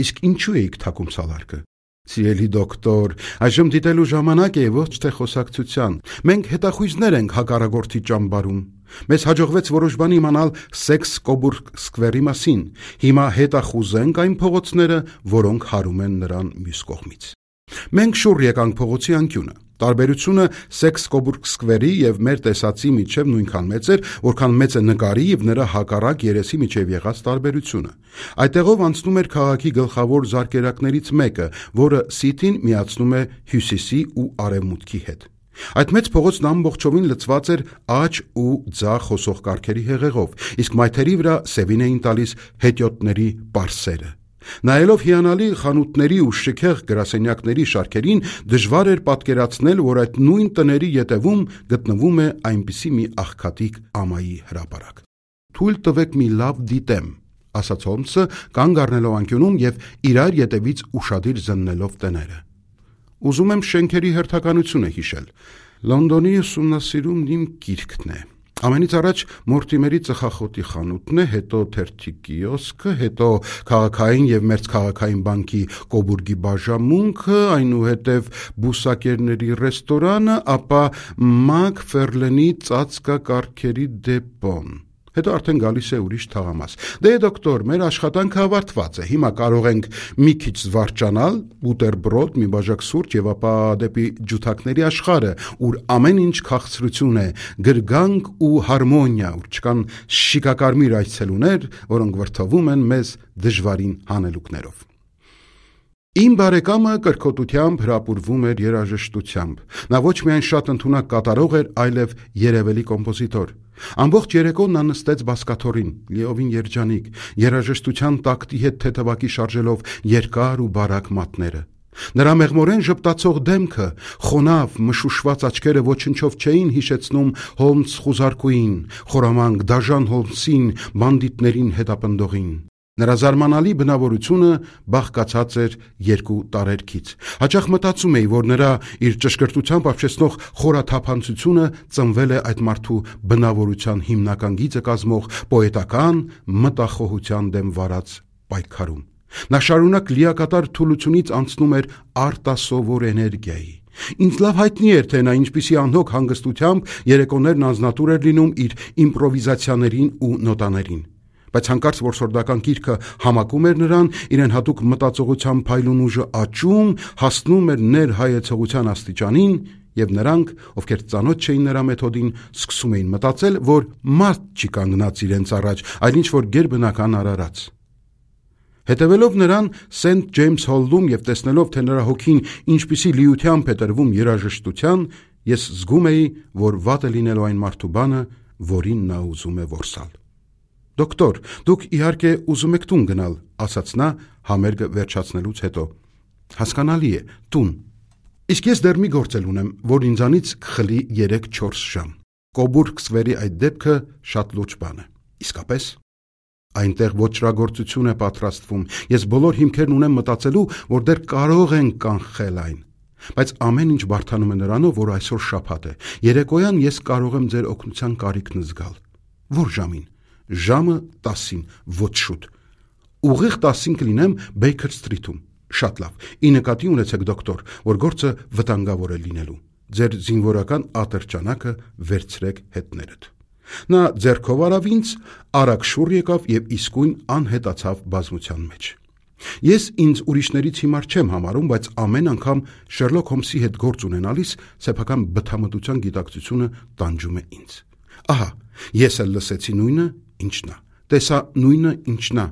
Իսկ ինչու էիք թակում սալարկը։ Սիրելի դոկտոր, այժմ դիտելու ժամանակ է, ոչ թե խոսակցության։ Մենք հետախույզներ ենք հակառակորդի ճամբարում։ Մեզ հաջողվեց որոշ բան իմանալ Սեքս-Կոբուրգ Սկվերի մասին։ Հիմա հետախուզենք այն փողոցները, որոնք հարում են նրան մյուս կողմից։ Մենք շուռ եկանք փողոցի անկյունը։ Տարբերությունը Սեքս-Կոբուրգ Սկվերի եւ մեր տեսածի միջև նույնքան մեծ էր, որքան մեծ է նկարի եւ նրա հակառակ երեսի միջև եղած տարբերությունը։ Այդտեղով անցնում էր քաղաքի գլխավոր զարկերակներից մեկը, որը Սիթին միացնում է հյուսիսի ու արևմուտքի հետ։ Այդ մեծ փողոցն ամբողջովին լցված էր աջ ու ձախ հոսող կառքերի հեղեղով, իսկ մայթերի վրա սևին էին տալիս հետիոտների պարսերը։ Նայելով հիանալի խանութների ու շքեղ գրասենյակների շարքերին, դժվար էր պատկերացնել, որ այդ նույն տների ետևում գտնվում է այնպիսի մի աղքատիկ ամայի հրապարակ։ Թույլ տվեք մի լավ դիտեմ, ասաց Հոլմսը, կանգ առնելով անկյունում եւ իրար ետևից ուշադիր զննելով տները։ Ուզում եմ շենքերի հերթականությունը հիշել։ Լոնդոնի ուսումնասիրումն իմ գիրքն է։ Ամենից առաջ Մորտիմերի ծխախոտի խանութն է, հետո թերթի կիոսկը, հետո քաղաքային եւ մերձքաղաքային բանկի Կոբուրգի բաժամունքը, այնուհետև բուսակերների ռեստորանը, ապա Մակֆերլենի ծածկակառքերի դեպոն։ Հետո արդեն գալիս է ուրիշ թաղամաս։ Դե դոկտոր, մեր աշխատանքը ավարտված է։ Հիմա կարող ենք մի քիչ զվարճանալ, բուտերբրոդ, մի բաժակ սուրճ եւ ապա դեպի ջութակների աշխարհը, ուր ամեն ինչ քաղցրություն է, գրգանք ու հարմոնիա, ուր չկան շիկակարմիր այցելուներ, որոնք վրթովում են մեզ դժվարին հանելուկներով։ Իմ բարեկամը կրկոտությամբ հրապուրվում էր երաժշտությամբ։ Նա ոչ միայն շատ ընդունակ կատարող էր, այլև երևելի կոմպոզիտոր։ Ամբողջ երեկոն նա նստեց բազկաթոռին, լիովին երջանիկ, երաժշտության տակտի հետ թեթևակի շարժելով երկար ու բարակ մատները։ Նրա մեղմորեն ժպտացող դեմքը, խոնավ, մշուշված աչքերը ոչնչով չէին հիշեցնում Հոլմս խուզարկուին, խորամանկ դաժան Հոլմսին, բանդիտներին հետապնդողին։ Նրա զարմանալի բնավորությունը բաղկացած էր երկու տարերքից։ Հաճախ մտածում էի, որ նրա իր ճշգրտությամբ ապշեցնող խորաթափանցությունը ծնվել է այդ մարդու բնավորության հիմնական գիծը կազմող պոետական մտախոհության դեմ վարած պայքարում։ Նա շարունակ լիակատար թուլությունից անցնում էր արտասովոր էներգիայի։ Ինձ լավ հայտնի էր, թե նա ինչպիսի անհոգ հանգստությամբ երեկոներն անձնատուր էր լինում իր իմպրովիզացիաներին ու նոտաներին։ Բայց հանկարծ որսորդական գիրքը համակում էր նրան, իրեն հատուկ մտածողության փայլուն ուժը աճում, հասնում էր ներհայեցողության աստիճանին, եւ նրանք, ովքեր ծանոթ չէին նրա մեթոդին, սկսում էին մտածել, որ մարդ չի կանգնած իրենց առաջ, այլ ինչ-որ գերբնական արարած։ Հետևելով նրան Սենթ Ջեյմս Հոլում եւ տեսնելով, թե նրա հոգին ինչպիսի լիությամբ է տրվում երաժշտության, ես զգում էի, որ վատ է լինելու այն մարդու բանը, որին նա ուզում է որսալ։ Դոկտոր, դուք իհարկե ուզում եք տուն գնալ, ասաց նա համերգը վերջացնելուց հետո։ Հասկանալի է, տուն։ Իսկ ես դեռ մի գործ ունեմ, որ ինձանից կխլի 3-4 ժամ։ Կոբուրգ Սկվերի այդ դեպքը շատ լուրջ բան է։ Իսկապես։ Այնտեղ ոչրագործություն է պատրաստվում։ Ես բոլոր հիմքերն ունեմ մտածելու, որ դեռ կարող են կանխել այն։ Բայց ամեն ինչ բարդանում է նրանով, որ այսօր շաբաթ է։ Երեկոյան ես կարող եմ ձեր օգնության կարիքն զգալ։ Որ ժամին։ Ժամը 10-ին, ոչ շուտ։ Ուղիղ 10-ին կլինեմ Բեյքեր Սթրիթում։ Շատ լավ։ Ի նկատի ունեցեք, դոկտոր, որ գործը վտանգավոր է լինելու։ Ձեր զինվորական ատրճանակը վերցրեք հետներդ։ Նա ձեռքով արավ ինձ, արագ շուռ եկավ եւ իսկույն անհետացավ բազմության մեջ։ Ես ինձ ուրիշներից հիմար չեմ համարում, բայց ամեն անգամ Շերլոկ Հոլմսի հետ գործ ունենալիս սեփական բթամտության գիտակցությունը տանջում է ինձ։ Ահա, ես էլ լսեցի նույնը, ինչ նա, տեսա նույնը, ինչ նա,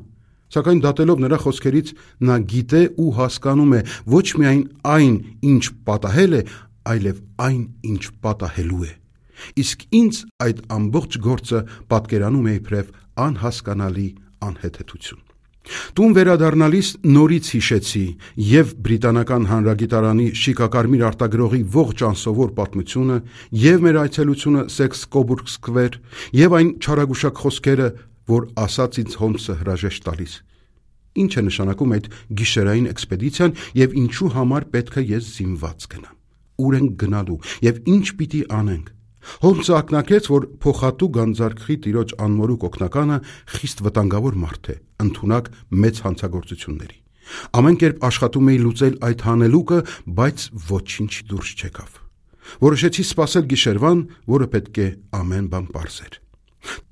սակայն դատելով նրա խոսքերից նա գիտե ու հասկանում է ոչ միայն այն, ինչ պատահել է, այլև այն, ինչ պատահելու է։ Իսկ ինձ այդ ամբողջ գործը պատկերանում է իբրև անհասկանալի անհեթեթություն։ Տուն վերադառնալիս նորից հիշեցի եւ Բրիտանական հանրագիտարանի շիկակարմիր արտագրողի ողջ անսովոր պատմությունը, եւ մեր այցելությունը Սեքս Կոբուրգ Սկվեր, եւ այն չարագուշակ խոսքերը, որ ասաց ինձ Հոլմսը հրաժեշտ տալիս։ Ինչ է նշանակում այդ գիշերային էքսպեդիցիան եւ ինչու համար պետք է ես զինված գնամ։ Ուր ենք գնալու եւ ինչ պիտի անենք։ Հոլմսը ակնարկեց, որ փոխատու գանձարկղի տիրոջ անմորուք օգնականը խիստ վտանգավոր մարդ է, ընդունակ մեծ հանցագործությունների։ Ամեն կերպ աշխատում էի լուծել այդ հանելուկը, բայց ոչինչ դուրս չեկավ։ Որոշեցի սպասել գիշերվան, որը պետք է ամեն բան պարզեր։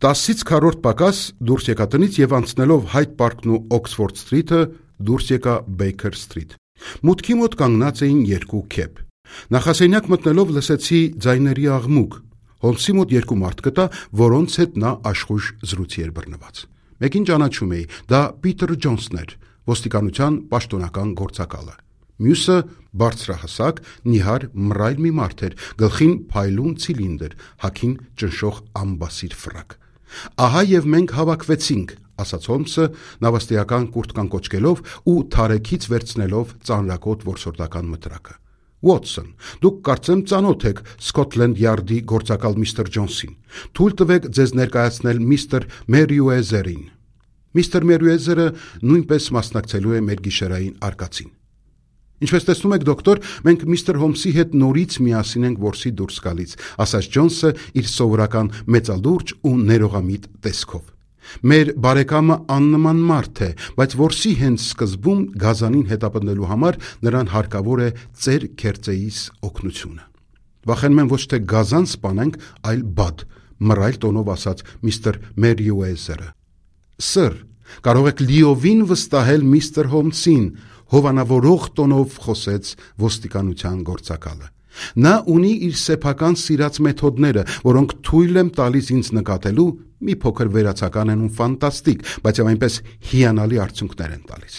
10-ից քառորդ պակաս դուրս եկա տնից եւ անցնելով Հայդ Պարկն ու Օքսֆորդ Սթրիթը դուրս եկա Բեյքեր Սթրիթ։ Մուտքի մոտ կանգնած էին երկու քեփ։ Նախասենյակ մտնելով լսեցի ձայների աղմուկ։ Հոլմսի մոտ երկու մարդ գտա, որոնց հետ նա աշխույժ զրույցի էր բռնված։ Մեկին ճանաչում էի, դա Պիտեր Ջոնսն էր, ոստիկանության պաշտոնական գործակալը։ Մյուսը բարձրահասակ, նիհար մռայլ մի մարդ էր, գլխին փայլուն ցիլինդր, հագին ճնշող ամբասիր ֆրակ։ Ահա եւ մենք հավաքվեցինք, ասաց Հոլմսը, նավաստիական կուրտկան կոչկելով ու թարեքից վերցնելով ծանրակոտ որսորդական մտրակը։ Ուոտսոն, դուք կարծեմ ծանոթ եք Սկոթլենդ Յարդի գործակալ միստր Ջոնսին։ Թույլ տվեք ձեզ ներկայացնել միստր Մերյուեզերին։ Միստր Մերյուեզերը նույնպես մասնակցելու է մեր գիշերային արկածին։ Ինչպես տեսնում եք, դոկտոր, մենք միստր Հոլմսի հետ նորից միասին ենք որսի դուրս գալիս, ասաց Ջոնսը իր սովորական մեծալուրջ ու ներողամիտ տեսքով։ Մեր բարեկամը աննման մարդ է, բայց որսի հենց սկզբում գազանին հետապնդելու համար նրան հարկավոր է ծեր քերծեիս օգնությունը։ Վախենում եմ ոչ թե գազան սպանենք, այլ բադ, մռայլ տոնով ասաց միստր Մերյուեզերը։ Սր, կարող եք լիովին վստահել միստր Հոլմսին, հովանավորող տոնով խոսեց ոստիկանության գործակալը։ Նա ունի իր սեփական սիրած մեթոդները, որոնք թույլ եմ տալիս ինձ նկատելու, մի փոքր վերացական են ու ֆանտաստիկ, բայց այնպես հիանալի արդյունքներ են տալիս։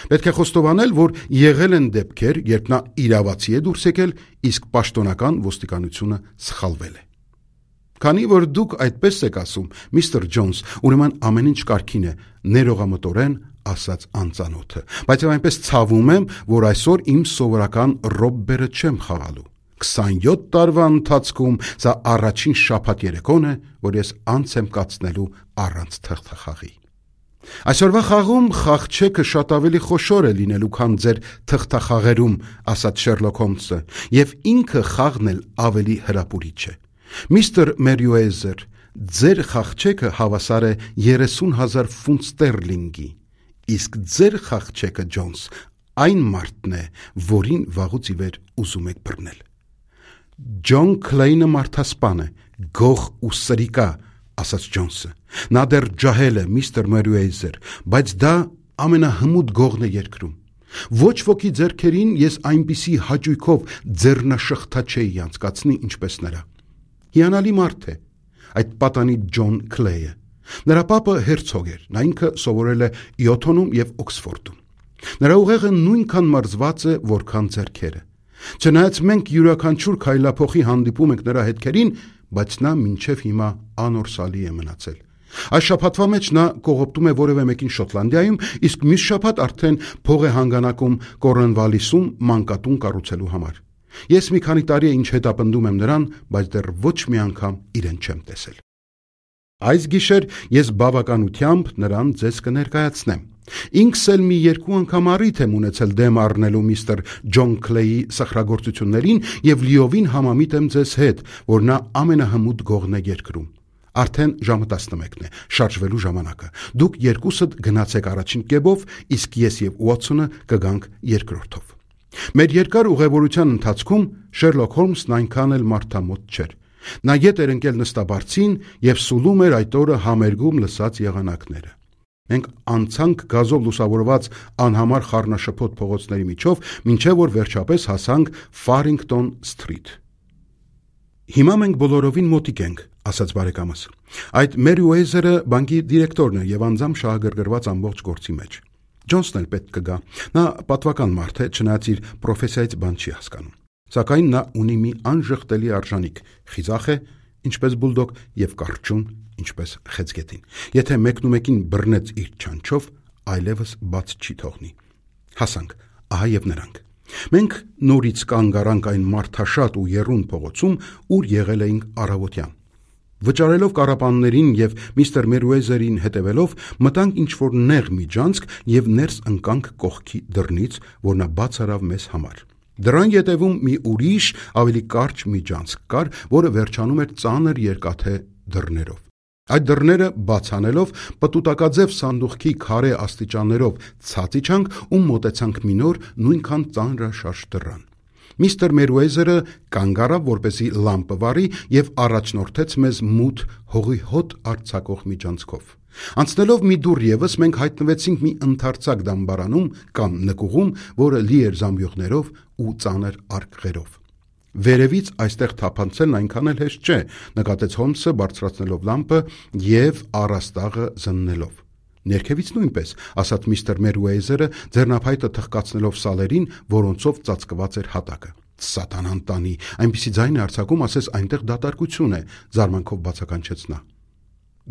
Պետք է խոստովանել, որ եղել են դեպքեր, երբ նա իրավացի է դուրս եկել, իսկ պաշտոնական ոստիկանությունը սխալվել է։ Քանի որ դուք այդպես եք ասում, միստր Ջոնս, ուրեմն ամեն ինչ կարգին է, ներողամտորեն ասաց անծանոթը, բայց եւ այնպես ցավում եմ, որ այսօր իմ սովորական ռոբբերը չեմ խաղալու։ 27 տարվա ընթացքում սա առաջին շաբաթ երեկոն է, որ ես անց եմ կացնելու առանց թղթախաղի։ Այսօրվա խաղում խաղչեքը շատ ավելի խոշոր է լինելու, քան ձեր թղթախաղերում, ասաց Շերլոք Հոլմսը, եւ ինքը խաղն էլ ավելի հրապուրիչ է։ Միստր Մերիուեզեր, ձեր խաղչեքը հավասար է 30,000 ֆունտ ստերլինգի, իսկ ձեր խաղչեքը, Ջոնս, այն մարդն է, որին վաղուց ի վեր ուզում եք բռնել։ Ջոն Քլեյնը մարդասպան է, գող ու սրիկա, ասաց Ջոնսը։ Նա դեռ ջահել է, միստր Մերիուեզեր, բայց դա ամենահմուտ գողն է երկրում։ Ոչ ոքի ձեռքերին ես այնպիսի հաճույքով ձեռնաշղթա չէի անցկացնի, ինչպես նրա։ Հիանալի մարդ է այդ պատանի Ջոն Քլեյը։ Նրա պապը հերցոգ էր, նա ինքը սովորել է Իոթոնում եւ Օքսֆորդում։ Նրա ուղեղը նույնքան մրզված է, որքան ձեռքերը։ Չնայած մենք յուրաքանչյուր քայլափոխի հանդիպում ենք նրա հետքերին, բայց նա մինչև հիմա անորսալի է մնացել։ Այս շաբաթվա մեջ նա կողոպտում է որևէ մեկին Շոտլանդիայում, իսկ մյուս շաբաթ արդեն փող է հանգանակում Կորնվալիսում մանկատուն կառուցելու համար։ Ես մի քանի տարի է ինչ հետապնդում եմ նրան, բայց դեռ ոչ մի անգամ իրեն չեմ տեսել։ Այս գիշեր ես բավականությամբ նրան ձեզ կներկայացնեմ։ Ինքս էլ մի 2 անգամ առիթ եմ ունեցել դեմ առնելու միստր Ջոն Քլեյի սխրագործություններին եւ լիովին համամիտ եմ ձեզ հետ, որ նա ամենահմուտ գողն է երկրում։ Արդեն ժամը 11-ն է, շարժվելու ժամանակը։ Դուք երկուսդ գնացեք առաջին կեբով, իսկ ես եւ Ուոթսոնը կգանք երկրորդով։ Մեր երկար ուղևորության ընթացքում Շերլոք Հոլմսն այնքան էլ մարդամոտ չէր։ Նա ետ էր ընկել նստաբարձին եւ սուլում էր այդ օրը համերգում լսած եղանակները։ Մենք անցանք գազով լուսավորված անհամար խառնաշփոթ փողոցների միջով, մինչև որ վերջապես հասանք Ֆարինգտոն Սթրիթ։ Հիմա մենք բոլորովին մոտիկ ենք, ասաց բարեկամս։ Այդ Մերիուեզերը բանկի դիրեկտորն է եւ անձամբ շահագրգռված ամբողջ գործի մեջ։ Ջոնսն էլ պետք կգա։ Նա պատվական մարդ է, չնայած իր պրոֆեսիայից բան չի հասկանում։ Սակայն նա ունի մի անժխտելի արժանիք, խիզախ է, ինչպես բուլդոգ, եւ կարճուն, ինչպես խեցգետին։ Եթե մեկնումեկին բռնեց իր չանչով, այլևս բաց չի թողնի։ Հասանք, ահա եւ նրանք։ Մենք նորից կանգ առանք այն մարդաշատ ու եռուն փողոցում, ուր եղել էինք առավոտյան։ Վճարելով կառապաններին եւ միստր Մերիուեզերին հետևելով, մտանք ինչ-որ նեղ միջանցք եւ ներս ընկանք կողքի դռնից, որ նա բաց արավ մեզ համար։ Դրան ետևում մի ուրիշ, ավելի կարճ միջանցք կար, որը վերջանում էր ծանր երկաթե դռներով։ Այդ դռները բաց անելով, պտուտակաձև սանդուղքի քարե աստիճաններով ցած իջանք ու մոտեցանք մի նոր, նույնքան ծանրաշարժ դռան։ Միստր Մերիուեզերը կանգ առավ, որպեսզի լամպը վառի եւ առաջնորդեց մեզ մութ հողի հոտ արձակող միջանցքով։ Անցնելով մի դուռ եւս մենք հայտնվեցինք մի ընդարձակ դամբարանում կամ նկուղում, որը լի էր զամբյուղներով ու ծանր արկղերով։ Վերևից այստեղ թափանցելն այնքան էլ հեշտ չէ, նկատեց Հոլմսը բարձրացնելով լամպը եւ առաստաղը զննելով։ Ներքևից նույնպես, ասաց միստր Մերիուեզերը, ձեռնափայտը թխկացնելով սալերին, որոնցով ծածկված էր հատակը։ Սատանան տանի, այնպիսի ձայն է արձակում, ասես այնտեղ դատարկություն է, զարմանքով բացականչեց նա։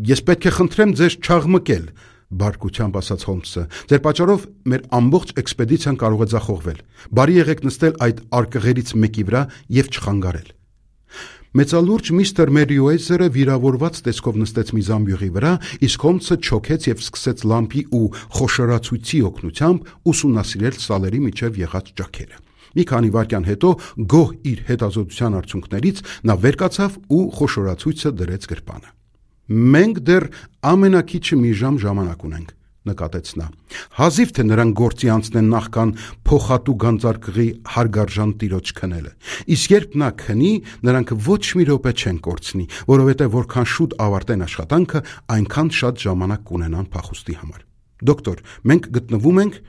Ես պետք է խնդրեմ ձեզ չաղմկել, բարկությամբ ասաց Հոլմսը։ Ձեր պատճառով մեր ամբողջ էքսպեդիցիան կարող է ձախողվել։ Բարի եղեք նստել այդ արկղերից մեկի վրա եւ չխանգարել։ Մեծալուրջ միստր Մերիուեզերը վիրավորված տեսքով նստեց մի զամբյուղի վրա, իսկ Հոլմսը չոքեց եւ սկսեց լամպի ու խոշորացույցի օգնությամբ ուսումնասիրել սալերի միջև եղած ճաքերը։ Մի քանի վայրկյան հետո գոհ իր հետազոտության արդյունքներից նա վեր կացավ ու խոշորացույցը դրեց գրպանը։ Մենք դեռ ամենակիչը մի ժամ ժամանակ ունենք, նկատեց նա։ Հազիվ թե նրանք գործի անցնեն նախքան փոխատու գանձարկղի հարգարժան տիրոջ քնելը։ Իսկ երբ նա քնի, նրանք ոչ մի րոպե չեն կորցնի, որովհետև որքան շուտ ավարտեն աշխատանքը, այնքան շատ ժամանակ կունենան փախուստի համար։ Դոկտոր, մենք գտնվում ենք,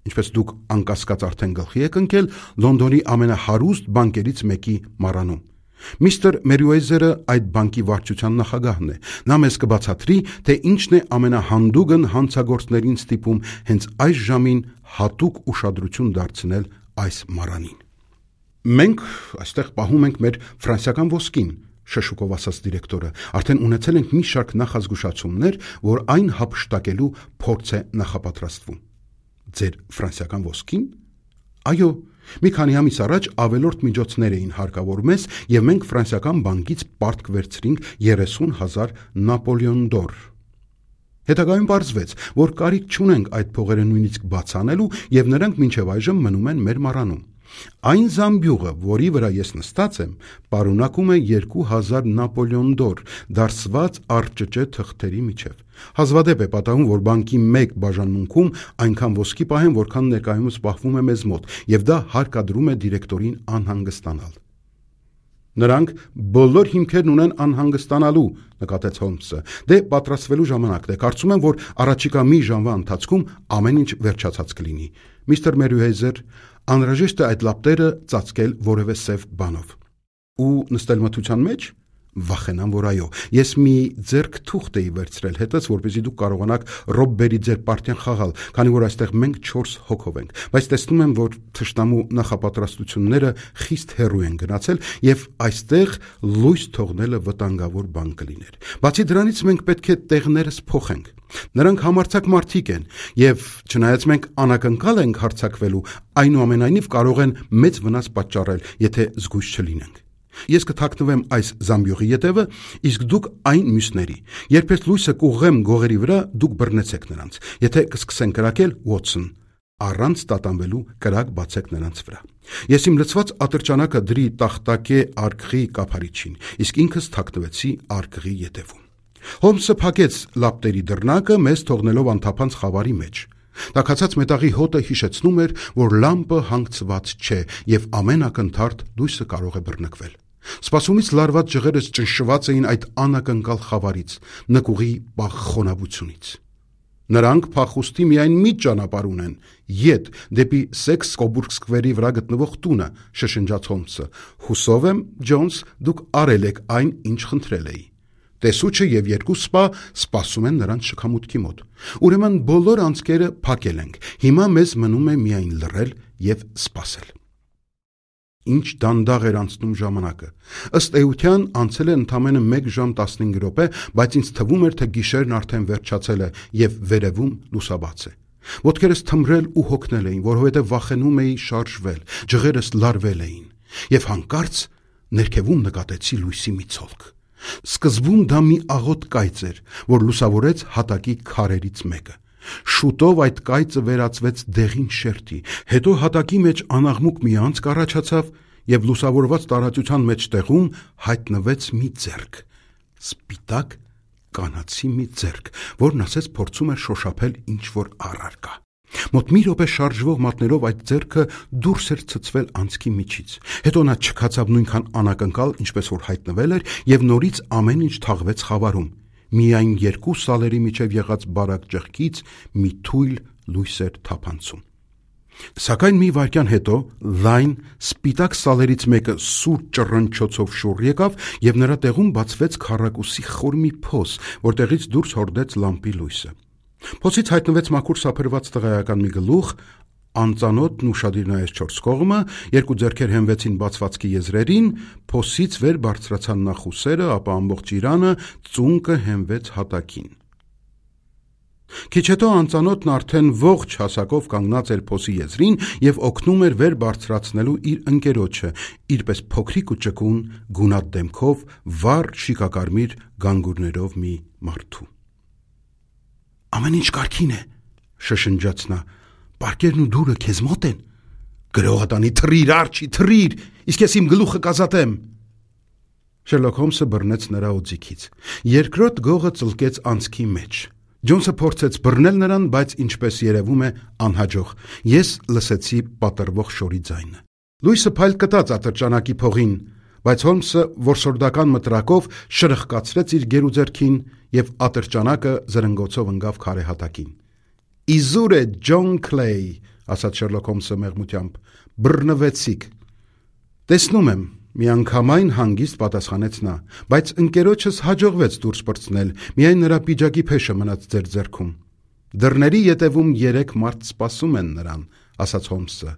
ինչպես դուք անկասկած արդեն գլխի եք ընկել, Լոնդոնի ամենահարուստ բանկերից մեկի մառանում։ Միստր Մերիուեզերը այդ բանկի վարչության նախագահն է։ Նա մեզ կբացատրի, թե ինչն է ամենահանդուգն հանցագործներին ստիպում հենց այս ժամին հատուկ ուշադրություն դարձնել այս մառանին։ Մենք այստեղ պահում ենք մեր ֆրանսիական ոսկին, շշուկով ասաց դիրեկտորը, արդեն ունեցել ենք մի շարք նախազգուշացումներ, որ այն հափշտակելու փորձ է նախապատրաստվում։ Ձեր ֆրանսիական ոսկին։ Այո, մի քանի ամիս առաջ ավելորդ միջոցներ էին հարկավոր մեզ, եւ մենք ֆրանսիական բանկից պարտք վերցրինք 30,000 նապոլեոն դոր։ Հետագայում պարզվեց, որ կարիք չունենք այդ փողերը նույնիսկ բաց անելու, եւ նրանք մինչեւ այժմ մնում են մեր մառանում։ Այն զամբյուղը, որի վրա ես նստած եմ, պարունակում է 2,000 նապոլեոն դոր, դարսված առճճե թղթերի միջև։ Հազվադեպ է պատահում, որ բանկի մեկ բաժանմունքում այնքան ոսկի պահեն, որքան ներկայումս պահվում է մեզ մոտ, եւ դա հարկադրում է դիրեկտորին անհանգստանալ։ Նրանք բոլոր հիմքերն ունեն անհանգստանալու, նկատեց Հոլմսը։ Դե պատրաստվելու ժամանակն է։ Կարծում եմ, որ առաջիկա մի ժամվա ընթացքում ամեն ինչ վերջացած կլինի։ Միստր Մերյուհեյզեր, անհրաժեշտ է այդ լապտերը ծածկել որևէ սև բանով։ Ու նստել մթության մեջ։ Վախենամ, որ այո, ես մի ձեռք թուղթ էի վերցրել հետս, որպեսզի դուք կարողանաք Ռոբբերի ձեր պարտիան խաղալ, քանի որ այստեղ մենք 4 հոգով ենք, բայց տեսնում եմ, որ թշնամու նախապատրաստությունները խիստ հեռու են գնացել եւ այստեղ լույս թողնելը վտանգավոր բան կլիներ։ Բացի դրանից մենք պետք է տեղներս փոխենք։ Նրանք համարձակ մարդիկ են եւ չնայած մենք անակնկալ ենք հարձակվելու, այնուամենայնիվ կարող են մեծ վնաս պատճառել, եթե զգույշ չլինենք։ Ես կթաքնվեմ այս զամբյուղի ետևը, իսկ դուք այն մյուսների։ Երբ ես լույսը կուղղեմ գողերի վրա, դուք բռնեցեք նրանց։ Եթե կսկսեն կրակել, Ուոտսոն, առանց տատանվելու կրակ բացեք նրանց վրա։ Ես իմ լցված ատրճանակը դրի տախտակե արկղի կափարիչին, իսկ ինքս թաքնվեցի արկղի ետևում։ Հոլմսը փակեց լապտերի դռնակը, մեզ թողնելով անթափանց խավարի մեջ։ Տաքացած մետաղի հոտը հիշեցնում էր, որ լամպը հանգցված չէ եւ ամեն ակնթարթ լույսը կարող է բռնկվել։ Սպասումից լարված ջղերս ճնշված էին այդ անակնկալ խավարից, նկուղի պաղ խոնավությունից։ Նրանք փախուստի միայն մի ճանապարհ ունեն՝ ետ դեպի Սեքս-Կոբուրգ սկվերի վրա գտնվող տունը, շշնջաց Հոլմսը։ Հուսով եմ, Ջոնս, դուք արել եք այն, ինչ խնդրել էի։ Տեսուչը եւ 2 սպա սպասում են նրանց շքամուտքի մոտ։ Ուրեմն բոլոր անցքերը փակել ենք։ Հիմա մեզ մնում է միայն լռել եւ սպասել։ Ինչ դանդաղ էր անցնում ժամանակը։ Ըստ էության անցել է ընդամենը 1 ժամ 15 րոպե, բայց ինձ թվում էր, թե գիշերն արդեն վերջացել է եւ վերևում լուսաբաց է։ Ոտքերս թմրել ու հոգնել էին, որովհետեւ վախենում էի շարժվել, ջղերս լարվել էին եւ հանկարծ ներքևում նկատեցի լույսի մի ցոլք։ Սկզբում դա մի աղոտ կայծ էր, որ լուսավորեց հատակի քարերից մեկը։ Շուտով այդ կայծը վերածվեց դեղին շերտի, հետո հատակի մեջ անաղմուկ մի անցք առաջացավ եւ լուսավորված տարածության մեջտեղում հայտնվեց մի ձեռք, սպիտակ կանացի մի ձեռք, որն ասես փորձում էր շոշափել ինչ-որ առարկա։ Մոտ մի րոպե շարժվող մատներով այդ ձեռքը դուրս էր ցցվել անցքի միջից։ Հետո նա չքացավ նույնքան անակնկալ, ինչպես որ հայտնվել էր, եւ նորից ամեն ինչ թաղվեց խավարում։ Միայն 2 սալերի միջև եղած բարակ ճեղքից մի թույլ լույս էր թափանցում։ Սակայն մի վայրկյան հետո լայն սպիտակ սալերից մեկը սուր ճռնչոցով շուռ եկավ եւ նրա տեղում բացվեց քառակուսի խոր մի փոս, որտեղից դուրս հորդեց լամպի լույսը։ Փոսից հայտնվեց մաքուր սափրված տղայական մի գլուխ, անծանոթն ուշադիր նայեց 4 կողմը, 2 ձեռքեր հենվեցին բացվածքի եզրերին, փոսից վեր բարձրացան նախ ուսերը, ապա ամբողջ իրանը, ծունկը հենվեց հատակին։ Քիչ հետո անծանոթն արդեն ողջ հասակով կանգնած էր փոսի եզրին եւ օգնում էր վեր բարձրացնելու իր ընկերոջը, իրպես փոքրիկ ու ճկուն, գունատ դեմքով, վառ շիկակարմիր գանգուրներով մի մարդու։ Ամեն ինչ կարգին է, շշնջաց նա։ Պարկերն ու դուրը քեզ մոտ են։ Գրողատանի թռիր, Արջի, թռիր, իսկ ես իմ գլուխը կազատեմ։ Շերլոք Հոլմսը բռնեց նրա օձիքից։ Երկրորդ գողը ծլկեց անցքի մեջ։ Ջոնսը փորձեց բռնել նրան, բայց ինչպես երևում է, անհաջող։ Ես լսեցի պատռվող շորի ձայնը։ Լույսը փայլ կտած ատրճանակի փողին, բայց Հոլմսը որսորդական մտրակով շրխկացրեց իր գերուձեռքին եւ ատրճանակը զրնգոցով ընկավ քարե հատակին։ Իզուր է, Ջոն Քլեյ, ասաց Շերլոք Հոլմսը մեղմությամբ, բռնվեցիք։ Տեսնում եմ, միանգամայն հանգիստ պատասխանեց նա, բայց ընկերոջս հաջողվեց դուրս պրծնել, միայն նրա պիջակի փեշը մնաց ձեր ձեռքում։ Դռների ետևում 3 մարդ սպասում են նրան, ասաց Հոլմսը։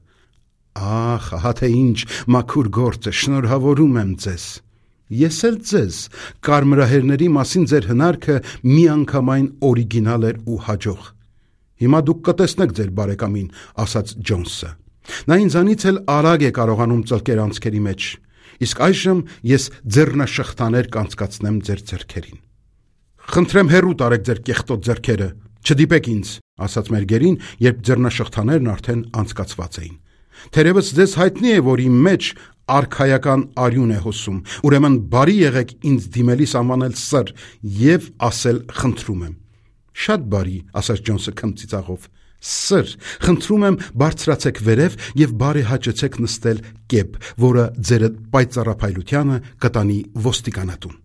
Ահ, ահա թե ինչ մաքուր գործ է, շնորհավորում եմ ձեզ։ Ես էլ ձեզ, կարմրահերների մասին ձեր հնարքը միանգամայն օրիգինալ էր ու հաջող։ Հիմա դուք կտեսնեք ձեր բարեկամին, ասաց Ջոնսը։ Նա ինձանից էլ արագ է կարողանում ծլկել անցքերի մեջ, իսկ այժմ ես ձեռնաշղթաներ կանցկացնեմ ձեր ձեռքերին։ Խնդրեմ հեռու տարեք ձեր կեղտոտ ձեռքերը, չդիպեք ինձ, ասաց մեր գերին, երբ ձեռնաշղթաներն արդեն անցկացված էին։ Թերևս ձեզ հայտնի է, որ իմ մեջ արքայական արյուն է հոսում, ուրեմն բարի եղեք ինձ դիմելիս անվանել սըր և ասել խնդրում եմ։ Շատ բարի, ասաց Ջոնսը քմծիծաղով։ Սըր, խնդրում եմ բարձրացեք վերև և բարեհաճեցեք նստել կեպ, որը ձեր պայծառափայլությանը կտանի ոստիկանատուն։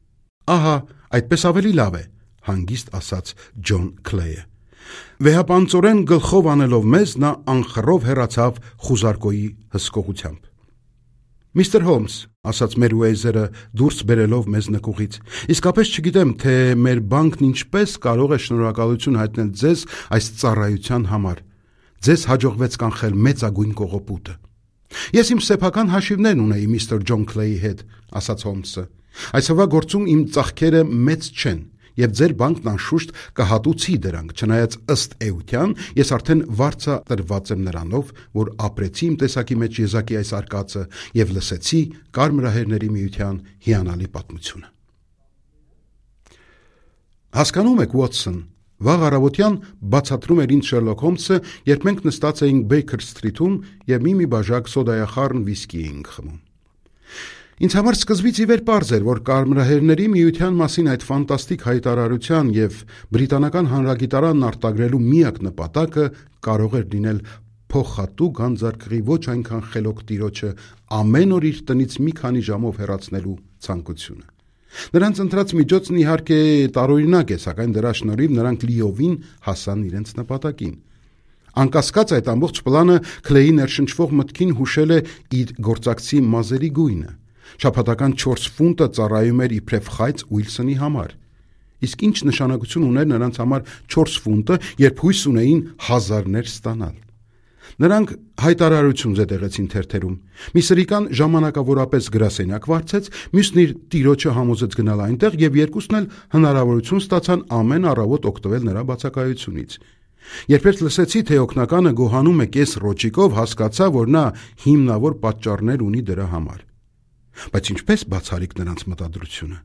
Ահա, այդպես ավելի լավ է, հանգիստ ասաց Ջոն Քլեյը։ Վեհապանծորեն գլխով անելով մեզ, նա անխռով հեռացավ խուզարկոյի հսկողությամբ։ Միսթր Հոլմս, ասաց Մերուեյզերը դուրս բերելով մեզ նկուղից, իսկապես չգիտեմ, թե մեր բանկն ինչպես կարող է շնորհակալություն հայտնել ձեզ այս ծառայության համար։ Ձեզ հաջողվեց կանխել մեծագույն կողոպուտը։ Ես իմ սեփական հաշիվներն ունեի միստր Ջոն Քլեյի հետ, ասաց Հոլմսը։ Այսօրվա գործում իմ ծախքերը մեծ չեն, և ձեր բանկն անշուշտ կհատուցի դրանք, չնայած ըստ էության ես արդեն վարձատրված եմ նրանով, որ ապրեցի իմ տեսակի մեջ եզակի այս արկածը և լսեցի Կարմրահերների միության հիանալի պատմությունը։ Հասկանում եք, Ուոտսոն, վաղ առավոտյան բացատրում էր ինձ Շերլոք Հոլմսը, երբ մենք նստած էինք Բեյքեր Սթրիթում և մի բաժակ սոդայախառն վիսկի էինք խմում։ Ինձ համար սկզբից ի վեր պարզ էր, որ Կարմրահերների միության մասին այդ ֆանտաստիկ հայտարարության և բրիտանական հանրագիտարանն արտագրելու միակ նպատակը կարող էր լինել փոխհատուկ գանձարկղի ոչ այնքան խելոք տիրոջը ամեն օր իր տնից մի քանի ժամով հեռացնելու ցանկությունը։ Նրանց ընտրած միջոցն իհարկե տարօրինակ է, սակայն դրա շնորհիվ նրանք լիովին հասան իրենց նպատակին։ Անկասկած այդ ամբողջ պլանը Քլեյի ներշնչվող մտքին հուշել է իր գործակցի մազերի գույնը։ Շաբաթական 4 ֆունտը ծառայում էր իբրև խայծ Ուիլսոնի համար։ Իսկ ինչ նշանակություն ուներ նրանց համար 4 ֆունտը, երբ հույս ունեին հազարներ ստանալ։ Նրանք հայտարարություն զետեղեցին թերթերում։ Մի սրիկան ժամանակավորապես գրասենյակ վարձեց, մյուսն իր տիրոջը համոզեց գնալ այնտեղ և երկուսն էլ հնարավորություն ստացան ամեն առավոտ օգտվել նրա բացակայությունից։ Երբ լսեցի, թե օգնականը գոհանում է կես ռոճիկով, հասկացա, որ նա հիմնավոր պատճառներ ունի դրա համար։ Բայց ինչպես բացառիկ նրանց մտադրությունը։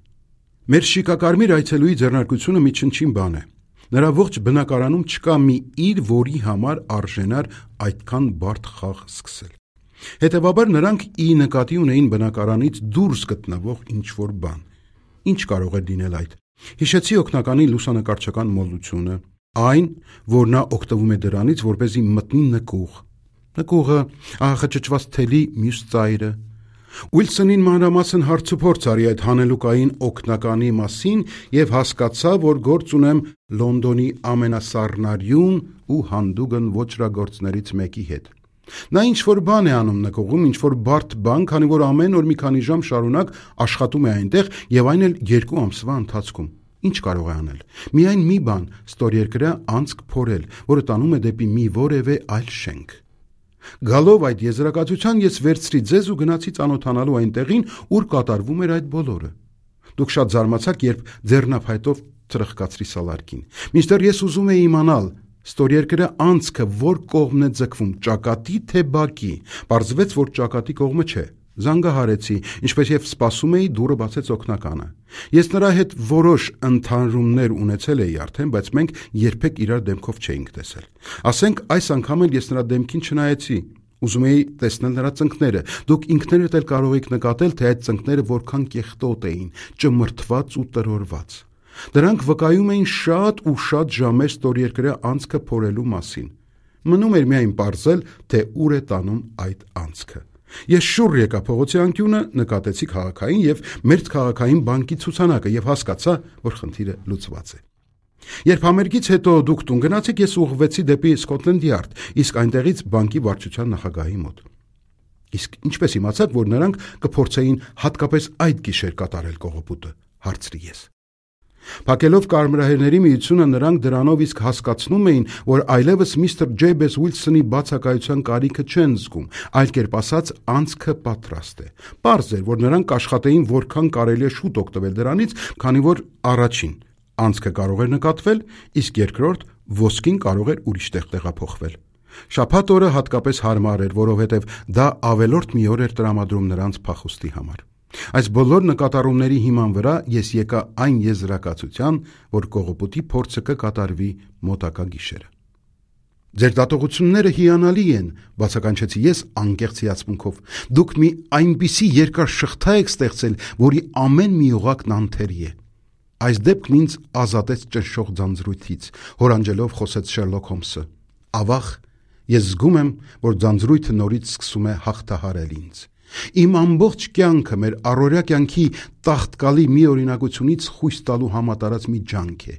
Մեր շիկակարմիր այցելուի ձեռնարկությունը մի չնչին բան է։ Նրա ողջ բնակարանում չկա մի իր, որի համար արժենար այդքան բարդ խաղ սկսել։ Հետևաբար նրանք ի նկատի ունեին բնակարանից դուրս գտնվող ինչ-որ բան։ Ինչ կարող է լինել այդ։ Հիշեցի օգնականի լուսանկարչական մոլությունը, այն, որ նա օգտվում է դրանից, որպեսզի մտնի նկուղ։ Նկուղը, աղախճճված թելի մյուս ծայրը։ Ուիլսոնին մանրամասն հարցուփորձ արի այդ հանելուկային օգնականի մասին և հասկացա, որ գործ ունեմ Լոնդոնի ամենասառնարյուն ու հանդուգն ոճրագործներից մեկի հետ։ Նա ինչ-որ բան է անում նկուղում, ինչ-որ բարդ բան, քանի որ ամեն օր մի քանի ժամ շարունակ աշխատում է այնտեղ և այն էլ 2 ամսվա ընթացքում։ Ինչ կարող է անել։ Միայն մի բան՝ ստորերկրյա անցք փորել, որը տանում է դեպի մի որևէ այլ շենք։ Գալով այդ եզրակացության ես վերցրի ձեզ ու գնացի ծանոթանալու այն տեղին, ուր կատարվում էր այդ բոլորը։ Դուք շատ զարմացաք, երբ ձեռնափայտով թրխկացրի սալարկին։ Մինչդեռ ես ուզում էի իմանալ, ստորերկրյա անցքը որ կողմն է ձգվում, ճակատի թե բակի։ Պարզվեց, որ ճակատի կողմը չէ։ Զանգահարեցի, ինչպես և սպասում էի, դուռը բացեց օգնականը։ Ես նրա հետ որոշ ընդհանրումներ ունեցել էի արդեն, բայց մենք երբեք իրար դեմքով չէինք տեսել։ Ասենք այս անգամ էլ ես նրա դեմքին չնայեցի։ Ուզում էի տեսնել նրա ծնկները։ Դուք ինքներդ էլ կարող եք նկատել, թե այդ ծնկները որքան կեղտոտ էին, ճմրթված ու տրորված։ Դրանք վկայում էին շատ ու շատ ժամեր ստորերկրյա անցքը փորելու մասին։ Մնում էր միայն պարզել, թե ուր է տանում այդ անցքը։ Ես շուռ եկա փողոցի անկյունը, նկատեցի քաղաքային և մերձ քաղաքային բանկի ցուցանակը և հասկացա, որ խնդիրը լուծված է։ Երբ համերգից հետո դուք տուն գնացիք, ես ուղղվեցի դեպի Scotland Yard, իսկ այնտեղից բանկի վարչության նախագահի մոտ։ Իսկ ինչպես իմացաք, որ նրանք կփորձեին հատկապես այդ գիշեր կատարել կողոպուտը, հարցրի ես։ Փակելով կարմրահերների միությունը նրանք դրանով իսկ հասկացնում էին, որ այլևս միստր Ջեյբես Ուիլսոնի բացակայության կարիքը չեն զգում, այլ կերպ ասած անցքը պատրաստ է։ Պարզ էր, որ նրանք աշխատեին որքան կարելի է շուտ օգտվել դրանից, քանի որ առաջին անցքը կարող էր նկատվել, իսկ երկրորդ ոսկին կարող էր ուրիշ տեղ տեղափոխվել։ Շաբաթ օրը հատկապես հարմար էր, որովհետև դա ավելորդ մի օր էր տրամադրում նրանց փախուստի համար։ Այս բոլոր նկատառումների հիման վրա ես եկա այն եզրակացության, որ կողոպուտի փորձը կկատարվի մոտակա գիշերը։ Ձեր դատողությունները հիանալի են, բացականչեցի ես անկեղծ հիացմունքով։ Դուք մի այնպիսի երկար շղթա եք ստեղծել, որի ամեն մի օղակն անթերի է։ Այս դեպքն ինձ ազատեց ճնշող ձանձրույթից, հորանջելով խոսեց Շերլոք Հոլմսը։ Ավաղ, ես զգում եմ, որ ձանձրույթը նորից սկսում է հաղթահարել ինձ։ Իմ ամբողջ կյանքը մեր առօրյա կյանքի տաղտկալի մի օրինակությունից խույս տալու համատարած մի ջանք է։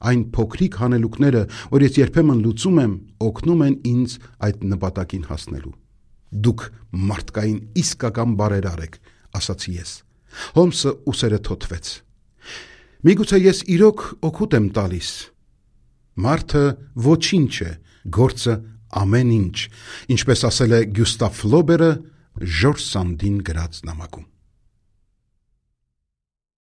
Այն փոքրիկ հանելուկները, որ ես երբեմն լուծում եմ, օգնում են ինձ այդ նպատակին հասնելու։ Դուք մարդկային իսկական բարերար եք, ասացի ես։ Հոլմսը ուսերը թոթվեց։ Միգուցե ես իրոք օգուտ եմ տալիս։ Մարդը ոչինչ է, գործը ամեն ինչ, ինչպես ասել է Գյուստավ Ֆլոբերը Ժորժ Սանդին գրած նամակում։